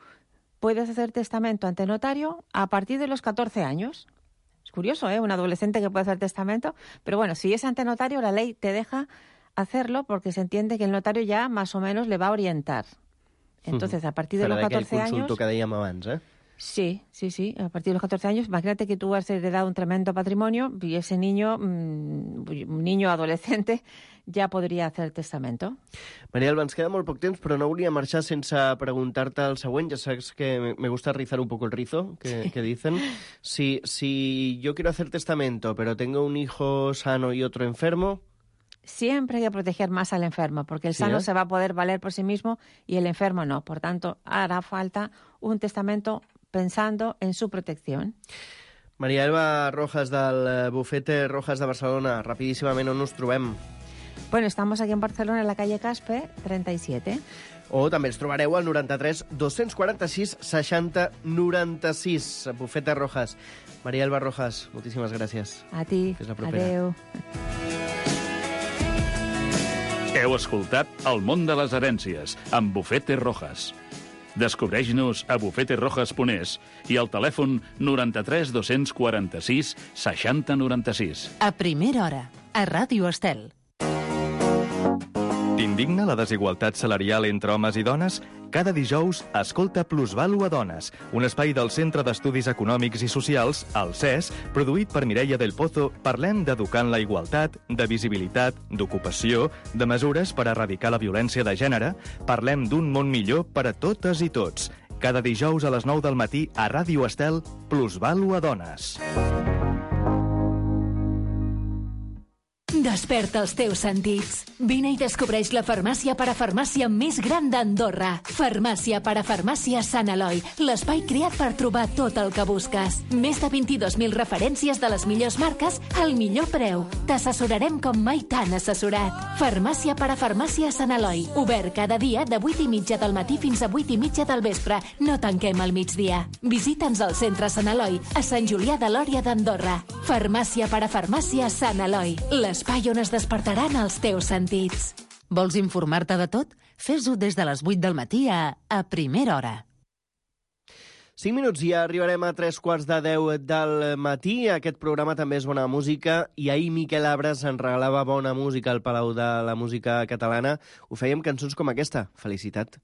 puedes hacer testamento ante notario a partir de los catorce años. Es curioso, ¿eh? Un adolescente que puede hacer testamento. Pero bueno, si es ante notario, la ley te deja hacerlo porque se entiende que el notario ya más o menos le va a orientar. Entonces, a partir de los catorce años... Farà d'aquell consulto que dèiem abans, eh? Sí, sí, sí. A partir de los catorce años, imagínate que tú has heredado un tremendo patrimonio y ese niño, mmm, un niño adolescente, ja podria hacer testamento. Maria Alba, ens queda molt poc temps, però no volia marxar sense preguntar-te el següent. Ja saps que me gusta rizar un poco el rizo, que, que dicen. Si, si yo quiero hacer testamento, pero tengo un hijo sano y otro enfermo... Siempre hay que proteger más al enfermo, porque el sano ¿Sí, eh? se va a poder valer por sí mismo y el enfermo no. Por tanto, hará falta un testamento pensando en su protección. Maria Alba Rojas, del bufete Rojas de Barcelona. Rapidíssimament, on us trobem? Bueno, estamos aquí en Barcelona, en la calle Caspe, treinta y siete. O també ens trobareu al noranta-tres dos-cents quaranta-sis seixanta noranta-sis. Bufete Rojas. Maria Alba Rojas, moltíssimes gràcies. A ti. Fins la propera. Adéu. Heu escoltat El món de les herències, amb Bufete Rojas. Descobreix-nos a bufete rojas punt es i al telèfon noranta-tres dos-cents quaranta-sis seixanta noranta-sis. A primera hora, a Ràdio Estel. T'indigna la desigualtat salarial entre homes i dones? Cada dijous, escolta Plusvalua Dones, un espai del Centre d'Estudis Econòmics i Socials, el C E S, produït per Mireia del Pozo. Parlem d'educar en la igualtat, de visibilitat, d'ocupació, de mesures per erradicar la violència de gènere. Parlem d'un món millor per a totes i tots. Cada dijous a les nou del matí a Ràdio Estel, Plusvalua Dones. Desperta els teus sentits. Vine i descobreix la farmàcia parafarmàcia més gran d'Andorra. Farmàcia parafarmàcia Sant Eloi, l'espai creat per trobar tot el que busques. Més de vint-i-dos mil referències de les millors marques al millor preu. T'assessorarem com mai t'han assessorat. Farmàcia parafarmàcia Sant Eloi, obert cada dia de vuit i mitja del matí fins a vuit i mitja del vespre. No tanquem al migdia. Visita'ns al centre Sant Eloi, a Sant Julià de Lòria d'Andorra. Farmàcia parafarmàcia Sant Eloi, l'espai on es despertaran els teus sentits. Vols informar-te de tot? Fes-ho des de les vuit del matí a, a primera hora. Cinc minuts i ja arribarem a tres quarts de deu del matí. Aquest programa també és bona música i ahir Miquel Abres ens regalava bona música al Palau de la Música Catalana. Ho fèiem cançons com aquesta. Felicitat.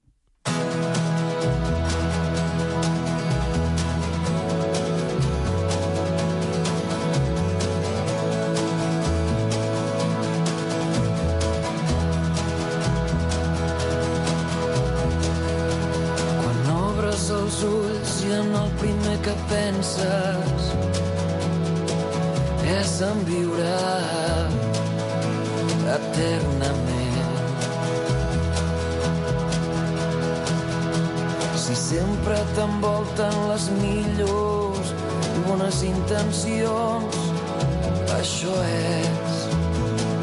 Els ulls i en el primer que penses és en viure eternament. Si sempre t'envolten les millors i bones intencions, això és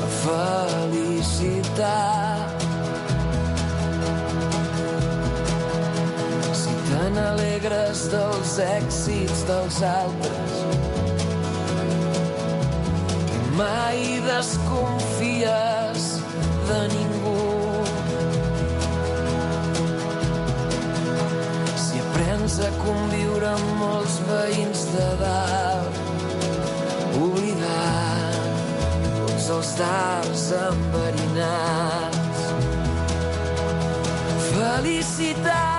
la felicitat. Te n'alegres dels èxits dels altres i mai desconfies de ningú. Si aprens a conviure amb molts veïns de dalt, oblidant tots els dards enverinats. Felicitat!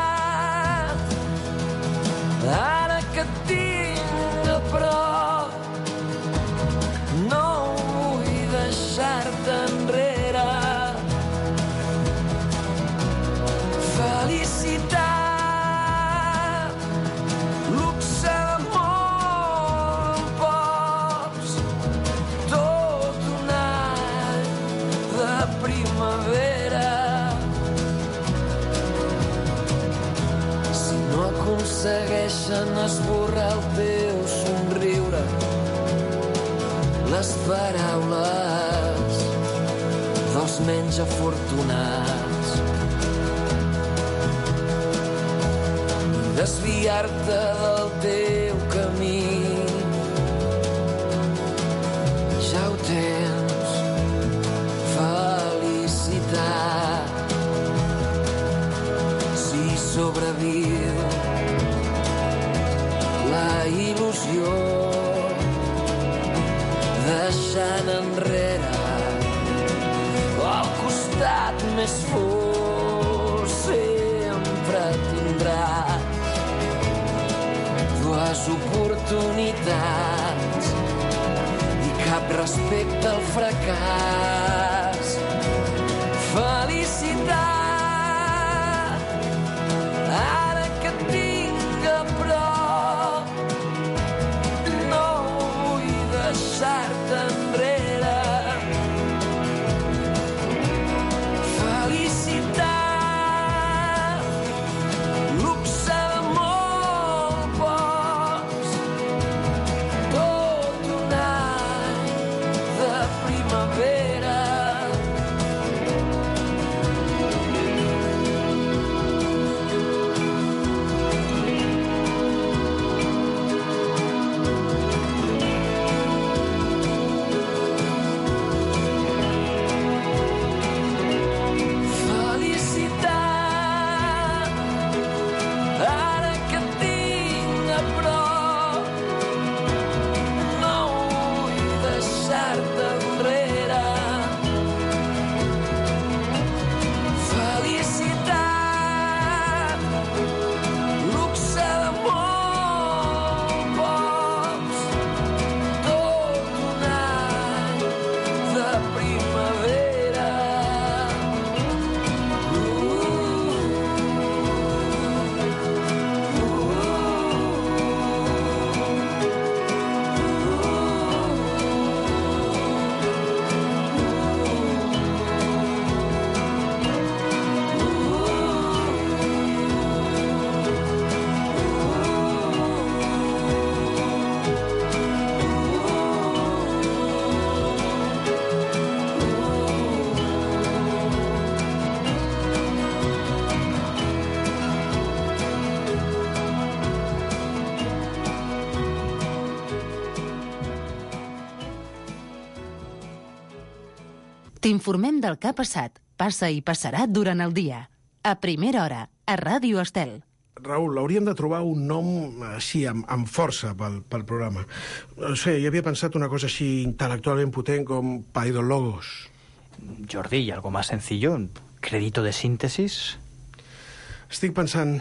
Ara que et tinc a prop, no vull deixar-te enrere. Felicitat, luxe d'amor, pocs, tot un any de primavera. Aconsegueixen esborrar el teu somriure, les paraules dels menys afortunats. Desviar-te del teu camí, ja ho tens, felicitat. Si sobreviu la il·lusió, deixant enrere el costat més fosc, sempre tindràs dues oportunitats i cap respecte al fracàs. Felicitat, ara que et tinc a prop, no vull deixar-te enrere. Felicitat, luxe de molt pocs, tot un any de primavera. T'informem del que ha passat, passa i passarà durant el dia. A primera hora, a Ràdio Estel. Raül, hauríem de trobar un nom així, amb, amb força pel, pel programa. No sé, jo havia pensat una cosa així intel·lectualment potent com Paidologos. Jordi, ¿y algo más sencillo? ¿Crédito de síntesis? Estic pensant,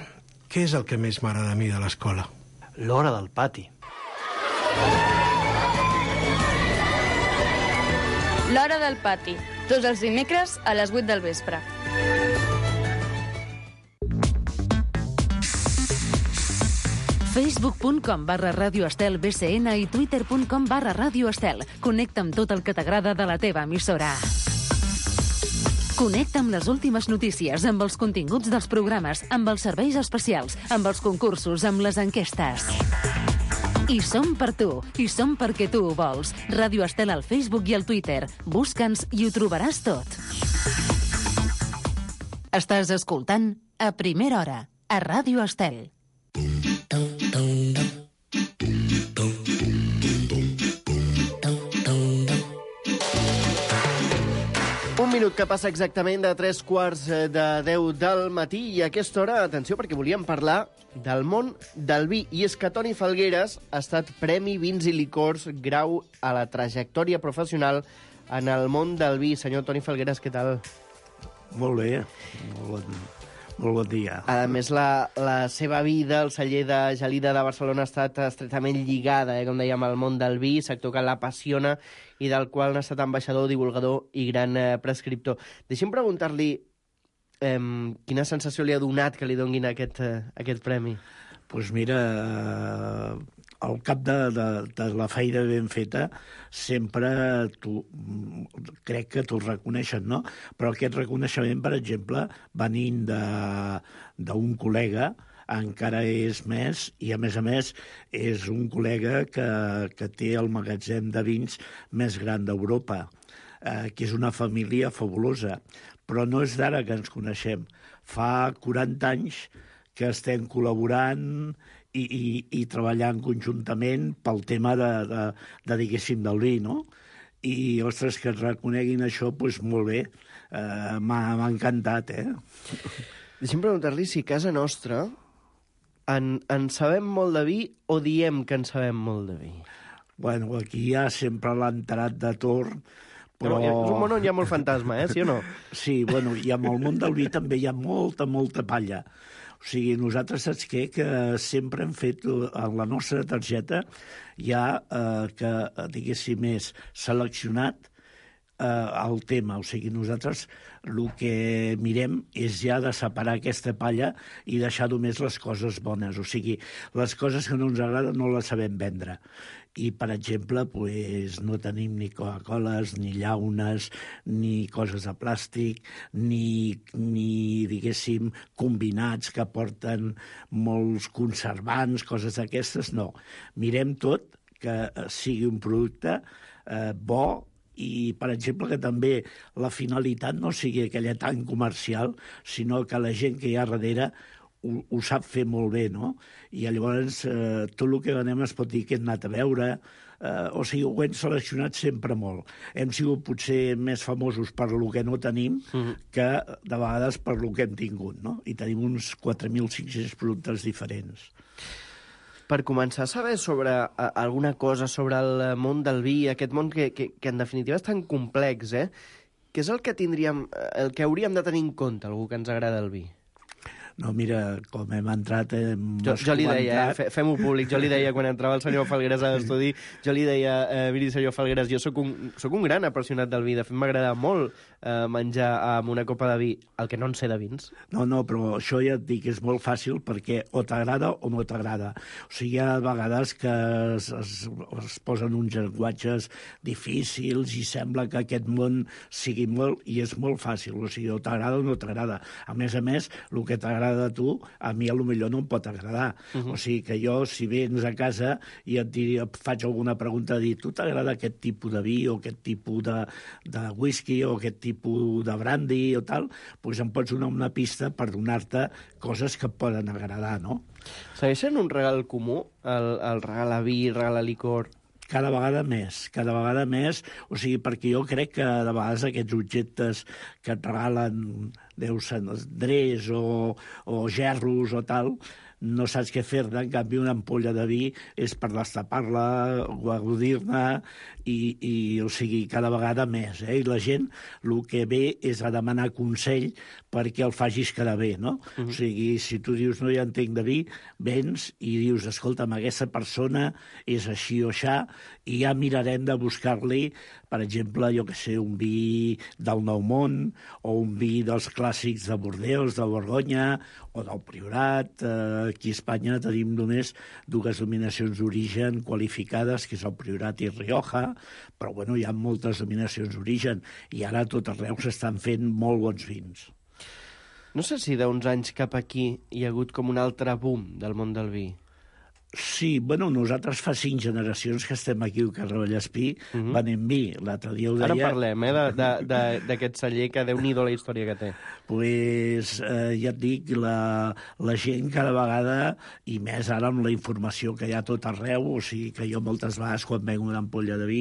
què és el que més m'agrada a mi de l'escola? L'hora del pati. L'hora del pati. Tots els dimecres a les vuit del vespre. facebook punt com barra Ràdio Estel B C N i twitter punt com barra Ràdio Estel. Connecta amb tot el que t'agrada de la teva emissora. Connecta amb les últimes notícies, amb els continguts dels programes, amb els serveis especials, amb els concursos, amb les enquestes. I som per tu, i som perquè tu ho vols. Ràdio Estel al Facebook i al Twitter. Busca'ns i ho trobaràs tot. Estàs escoltant A Primera Hora, a Ràdio Estel. Un minut que passa exactament de tres quarts de deu del matí i a aquesta hora, atenció, perquè volíem parlar del món del vi. I és que Toni Falgueras ha estat Premi Vins i Licors grau a la trajectòria professional en el món del vi. Senyor Toni Falgueras, què tal? Molt bé, molt bon, molt bon dia. A més, la, la seva vida, el celler de Gelida de Barcelona, ha estat estretament lligada, eh, com dèiem, al món del vi, sector que l'apassiona i del qual n'ha estat ambaixador, divulgador i gran eh, prescriptor. Deixi'm preguntar-li eh, quina sensació li ha donat que li donguin aquest, eh, aquest premi. Doncs pues mira, al cap de, de, de la feina ben feta, sempre tu, crec que t'ho reconeixen, no? Però aquest reconeixement, per exemple, venint d'un col·lega, encara és més, i a més a més és un col·lega que, que té el magatzem de vins més gran d'Europa, eh, que és una família fabulosa. Però no és d'ara que ens coneixem. Fa quaranta anys que estem col·laborant i, i, i treballant conjuntament pel tema de, de, de diguéssim, del vi, no? I, ostres, que et reconeguin això, doncs molt bé. Eh, m'ha encantat, eh? Deixi'm preguntar-li si a casa nostra en, en sabem molt de vi o diem que en sabem molt de vi? Bueno, aquí hi ha sempre l'enterat de torn, però... És un món on hi ha molt fantasma, eh? Sí o no? Sí, bueno, i amb el món del vi també hi ha molta, molta palla. O sigui, nosaltres saps què? Que sempre hem fet, en la nostra targeta, hi ha, eh, que, diguéssim, és seleccionat eh, el tema. O sigui, nosaltres el que mirem és ja de separar aquesta palla i deixar només les coses bones. O sigui, les coses que no ens agraden no les sabem vendre. I, per exemple, pues, no tenim ni Coca-Coles, ni llaunes, ni coses de plàstic, ni, ni diguéssim, combinats que porten molts conservants, coses d'aquestes, no. Mirem tot que sigui un producte eh, bo i, per exemple, que també la finalitat no sigui aquella tan comercial, sinó que la gent que hi ha darrere Ho, ho sap fer molt bé, no? I llavors eh, tot el que venem es pot dir que hem anat a veure, eh, o sigui, ho hem seleccionat sempre molt. Hem sigut potser més famosos per lo que no tenim mm-hmm. que de vegades per lo que hem tingut, no? I tenim uns quatre mil cinc-cents productes diferents. Per començar a saber sobre uh, alguna cosa sobre el món del vi, aquest món que, que, que en definitiva és tan complex, eh? Què és el que tindríem, el que hauríem de tenir en compte, algú que ens agrada el vi? No, mira, com hem entrat... Hem jo, jo li deia, eh, fem-ho públic, jo li deia quan entrava el senyor Falgueras a l'estudi, jo li deia, eh, miri, senyor Falgueras, jo sóc un, sóc un gran apassionat del vi, de fet m'agrada molt eh, menjar amb una copa de vi, el que no en sé de vins. No, no, però això ja et dic, és molt fàcil perquè o t'agrada o no t'agrada. O sigui, hi ha vegades que es, es, es posen uns llenguatges difícils i sembla que aquest món sigui molt, i és molt fàcil, o sigui, o t'agrada o no t'agrada. A més a més, el que t'agrada de tu, a mi potser no em pot agradar. Uh-huh. O sigui que jo, si vens a casa i et, diria, et faig alguna pregunta de dir, tu t'agrada aquest tipus de vi o aquest tipus de, de whisky o aquest tipus de brandy o tal, doncs em pots donar una pista per donar-te coses que et poden agradar, no? Segueix sent un regal comú, el, el regal a vi, el regal a licor? cada vegada més, cada vegada més, o sigui, perquè jo crec que de vegades aquests objectes que et regalen, deu ser drets o, o gerros o tal, no saps què fer-ne, en canvi una ampolla de vi és per destapar-la, gaudir-ne, i, i, o sigui, cada vegada més, eh? I la gent el que ve és a demanar consell perquè el facis quedar bé, no? Uh-huh. O sigui, si tu dius no hi entenc de vi, vens i dius, escolta'm, aquesta persona és així o aixà, i ja mirarem de buscar-li, per exemple, jo que sé, un vi del Nou Món, o un vi dels clàssics de Bordeus, de Borgonya, o del Priorat. Eh, aquí a Espanya tenim només dues denominacions d'origen qualificades, que és el Priorat i Rioja, però bueno, hi ha moltes denominacions d'origen, i ara a tot arreu s'estan fent molt bons vins. No sé si d'uns anys cap aquí hi ha hagut com un altre boom del món del vi. Sí, bueno, nosaltres fa cinc generacions que estem aquí al carrer Vallespí, uh-huh. venent vi. L'altre dia ho deia... Ara parlem, eh, d'aquest celler, que Déu-n'hi-do la història que té. Pues, eh, ja et dic, la, la gent cada vegada, i més ara amb la informació que hi ha tot arreu, o sigui que jo moltes vegades quan vengo una ampolla de vi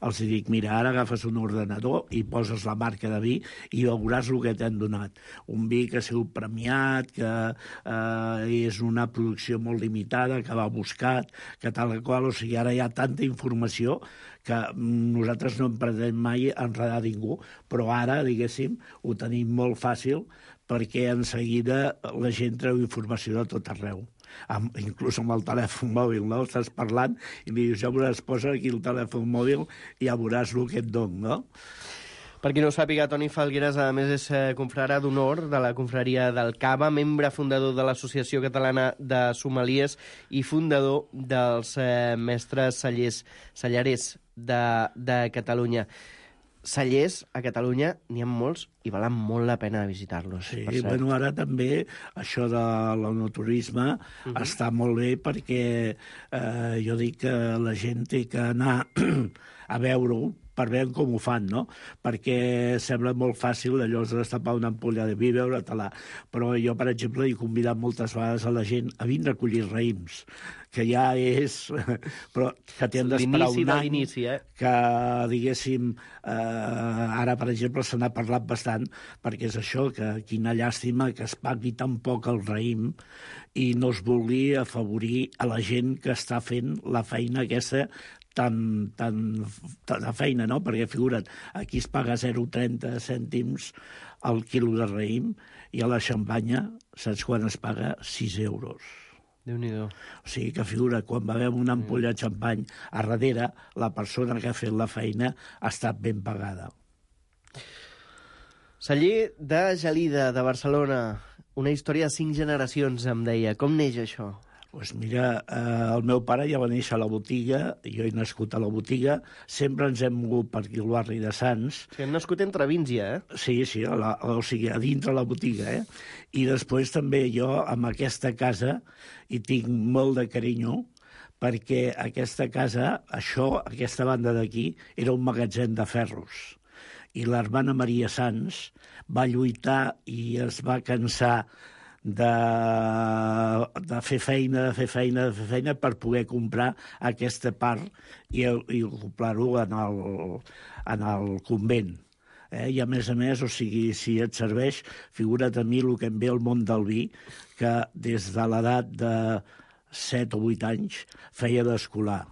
els dic, mira, ara agafes un ordenador i poses la marca de vi i veuràs el que t'han donat. Un vi que ha sigut premiat, que eh, és una producció molt limitada, que va buscat, que tal qual, o sigui, ara hi ha tanta informació que nosaltres no em pretenem mai enredar ningú, però ara, diguéssim, ho tenim molt fàcil perquè en seguida la gent treu informació de tot arreu. Amb, inclús amb el telèfon mòbil, no? Estàs parlant i li dius, ja veuràs, posa aquí el telèfon mòbil i ja veuràs el que et dono, no? Per qui no ho sàpiga, Toni Falgueras, a més, és confrare d'honor de la confraria del Cava, membre fundador de l'Associació Catalana de Sommeliers i fundador dels eh, mestres cellers, cellerers de, de Catalunya. Cellers a Catalunya n'hi ha molts i valen molt la pena visitar-los. Sí, bueno, ara també això de l'enoturisme uh-huh. està molt bé perquè eh, jo dic que la gent té que anar a veure-ho per veure com ho fan, no? Perquè sembla molt fàcil allò de destapar una ampolla de vi, veure-te-la. Però jo, per exemple, he convidat moltes vegades a la gent a vindre a collir raïms, que ja és... però que t'hem d'esperar un any, l'inici, eh? que, diguéssim, eh, ara, per exemple, se n'ha parlat bastant, perquè és això, que quina llàstima que es pagui tan poc el raïm i no es vulgui afavorir a la gent que està fent la feina aquesta tan, tan, tan de feina, no? Perquè, figura't, aquí es paga zero coma trenta cèntims al quilo de raïm i a la Xampanya, saps quan es paga? sis euros. Déu-n'hi-do. O sigui que, figura, quan bevem una ampolla de xampany, a darrere, la persona que ha fet la feina ha estat ben pagada. Celler de Gelida, de Barcelona. Una història de cinc generacions, em deia. Com neix això? Doncs pues mira, eh, el meu pare ja va néixer a la botiga, jo he nascut a la botiga, sempre ens hem mogut per aquí al barri de Sants. O sigui, hem nascut entre vins ja, eh? Sí, sí, a la, o sigui, a dintre la botiga, eh? I després també jo, amb aquesta casa, hi tinc molt de carinyo, perquè aquesta casa, això, aquesta banda d'aquí, era un magatzem de ferros. I l'hermana Maria Sans va lluitar i es va cansar de, de fer feina, de fer feina, de fer feina per poder comprar aquesta part i, i ocupar-ho en el, en el convent. Eh? I a més a més, o sigui, si et serveix, figura't a mi el que em ve al món del vi, que des de l'edat de set o vuit anys feia d'escolar.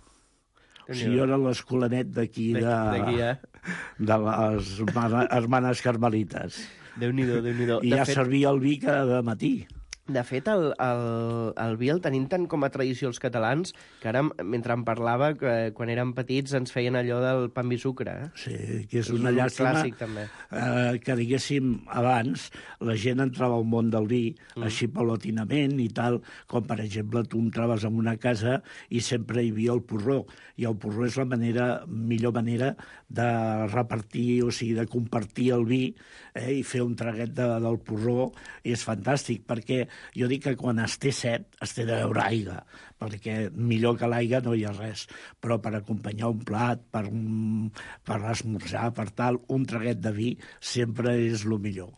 O sigui, jo era l'escolanet d'aquí, de, eh? de les hermanes carmelites. Déu-n'hi-do, Déu-n'hi-do. I ja fet... servia el vi cada matí. De fet, el, el, el vi el tenim tant com a tradició els catalans, que ara, mentre em parlava, que, quan érem petits ens feien allò del pa amb vi sucre. Eh? Sí, que és una llàstima clàssic, també. Eh, que, diguéssim, abans la gent entrava al món del vi, mm. així paulatinament i tal, com, per exemple, tu entraves en una casa i sempre hi havia el porró, i el porró és la manera, millor manera de repartir, o sigui, de compartir el vi, eh, i fer un traguet de, del porró és fantàstic, perquè jo dic que quan es té set es té de beure aigua, perquè millor que l'aigua no hi ha res, però per acompanyar un plat, per, un, per esmorzar, per tal, un traguet de vi sempre és el millor.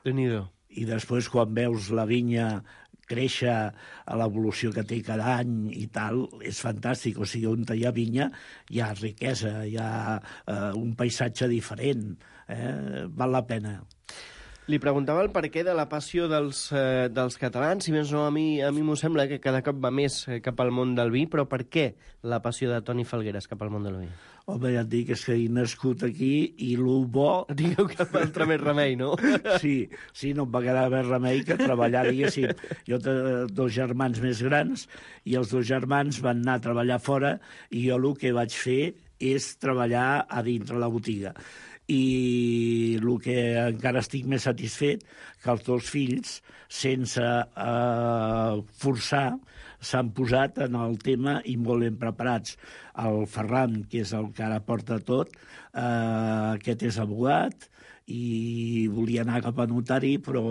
Déu-n'hi-do. I després quan veus la vinya créixer a l'evolució que té cada any i tal, és fantàstic. O sigui, on hi ha vinya hi ha riquesa, hi ha eh, un paisatge diferent. Eh? Val la pena. Li preguntava el perquè de la passió dels, eh, dels catalans, si més no, a mi a mi m'ho sembla que cada cop va més cap al món del vi, però per què la passió de Toni Falgueras cap al món del vi? Home, ja et dic, és que he nascut aquí i el bo... Digueu que altre més remei, no? Sí, sí, no em va quedar més remei que treballar, diguéssim. Jo té dos germans més grans i els dos germans van anar a treballar fora i jo el que vaig fer és treballar a dintre la botiga. I el que encara estic més satisfet, que els dos fills, sense eh, forçar, s'han posat en el tema i molt ben preparats. El Ferran, que és el que ara porta tot, eh, aquest és abogat, i volia anar cap a notari, però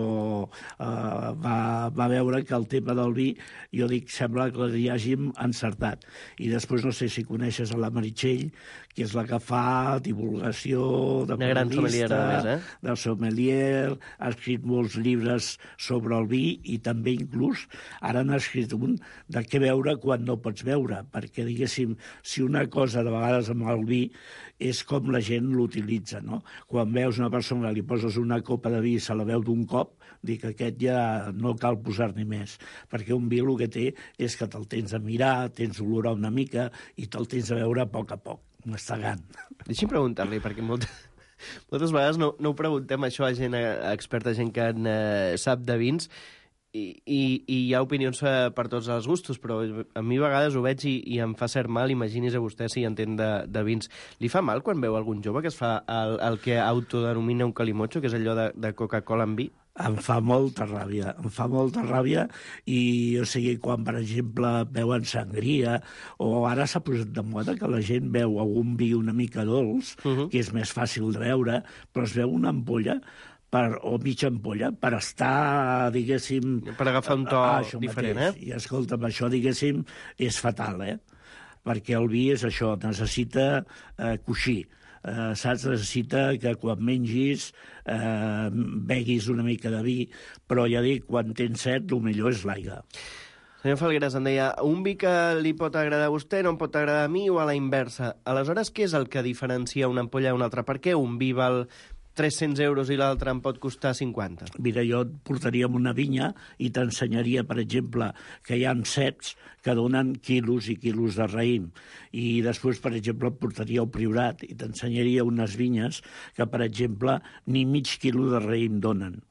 eh, va, va veure que el tema del vi, jo dic, sembla que hi hàgim encertat. I després no sé si coneixes a la Meritxell, que és la que fa divulgació de una gran sommelier, a més, eh? de sommelier, ha escrit molts llibres sobre el vi i també inclús ara n'ha escrit un de què veure quan no pots veure, perquè, diguéssim, si una cosa de vegades amb el vi és com la gent l'utilitza, no? Quan veus una persona, li poses una copa de vi i se la veu d'un cop, dic que aquest ja no cal posar-ne més, perquè un vi el que té és que te'l tens a mirar, tens olorar una mica i te'l tens a veure a poc a poc, mastegant. Deixi'm preguntar-li, perquè moltes, moltes vegades no, no ho preguntem això a gent experta, gent que en, eh, sap de vins, I, i, i hi ha opinions per tots els gustos, però a mi a vegades ho veig i, i em fa cert mal. Imagini's a vostè si entén de, de vins. Li fa mal quan veu algun jove que es fa el, el que autodenomina un calimocho, que és allò de, de Coca-Cola amb vi? Em fa molta ràbia, em fa molta ràbia i, o sigui, quan, per exemple, veuen sangria, o ara s'ha posat de moda que la gent veu algun vi una mica dolç, uh -huh. que és més fàcil de veure, però es veu una ampolla per, o mitja ampolla, per estar, diguéssim... Per agafar un to ah, diferent, mateix. eh? I, escolta'm, això, diguéssim, és fatal, eh? Perquè el vi és això, necessita eh, coixir. Eh, saps? Necessita que quan mengis eh, beguis una mica de vi, però ja dic, quan tens set, el millor és l'aigua. Senyor Falgueras, em deia, un vi que li pot agradar a vostè no em pot agradar a mi o a la inversa. Aleshores, què és el que diferencia una ampolla d'una altra? Per què un vi val tres-cents euros i l'altre em pot costar cinquanta? Mira, jo et portaria a una vinya i t'ensenyaria, per exemple, que hi ha ceps que donen quilos i quilos de raïm. I després, per exemple, et portaria al Priorat i t'ensenyaria unes vinyes que, per exemple, ni mig quilo de raïm donen.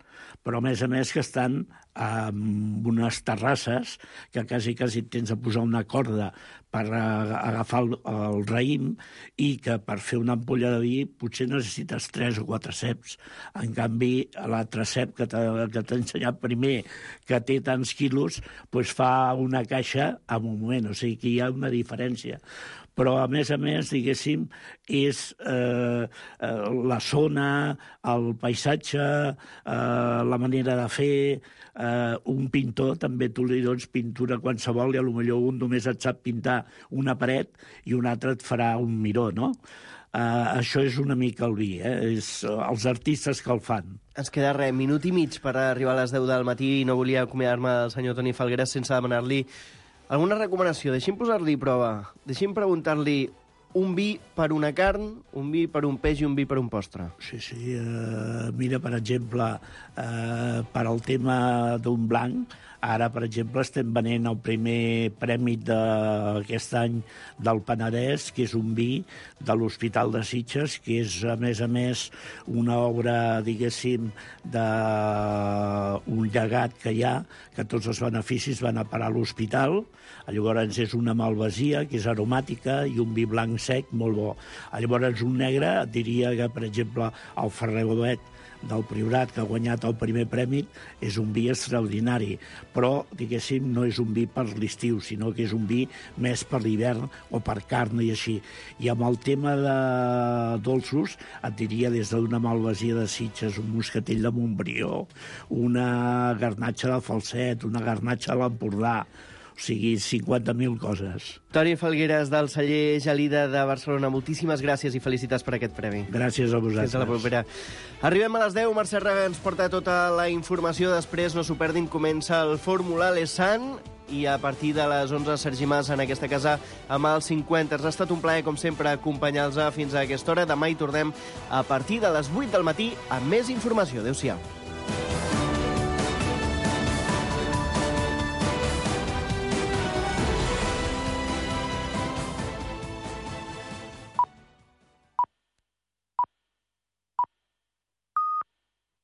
Però, a més a més, que estan amb unes terrasses que quasi, quasi tens de posar una corda per agafar el, el raïm i que per fer una ampolla de vi potser necessites tres o quatre ceps. En canvi, l'altre cep que t'ha ensenyat primer, que té tants quilos, doncs fa una caixa en un moment. O sigui que hi ha una diferència. Però, a més a més, diguéssim, és eh, eh, la zona, el paisatge, eh, la manera de fer. Eh, un pintor, també tu li dones pintura qualsevol i potser un només et sap pintar una paret i un altre et farà un miró, no? Uh, això és una mica el vi, eh? És els artistes que el fan. Ens queda res, minut i mig per arribar a les deu del matí i no volia acomiadar-me del senyor Toni Falgueras sense demanar-li alguna recomanació. Deixi'm posar-li prova. Deixi'm preguntar-li un vi per una carn, un vi per un peix i un vi per un postre. Sí, sí. Uh, mira, per exemple, uh, per al tema d'un blanc, ara, per exemple, estem venent el primer premi d'aquest any del Penedès, que és un vi de l'Hospital de Sitges, que és, a més a més, una obra, diguéssim, d'un llegat que hi ha, que tots els beneficis van a parar a l'hospital. Llavors és una malvasia, que és aromàtica, i un vi blanc sec, molt bo. Llavors un negre, et diria que, per exemple, el Ferrer Bovet del Priorat, que ha guanyat el primer premi, és un vi extraordinari. Però, diguéssim, no és un vi per l'estiu, sinó que és un vi més per l'hivern o per carn i així. I amb el tema de dolços, et diria des d'una malvasia de Sitges, un moscatell de Montbrió, una garnatxa de Falset, una garnatxa de l'Empordà. O O sigui, cinquanta mil coses. Toni Falgueres, del celler Gelida de Barcelona, moltíssimes gràcies i felicitats per aquest premi. Gràcies a vosaltres. Fins a la propera. Arribem a les deu, Mercè Raga ens porta tota la informació, després no s'ho perdin, comença el Fórmula Lesan, i a partir de les onze, Sergi Mas en aquesta casa amb els cinquanta. Ha estat un plaer, com sempre, acompanyar-los fins a aquesta hora. Demà hi tornem a partir de les vuit del matí amb més informació. Adéu-siau.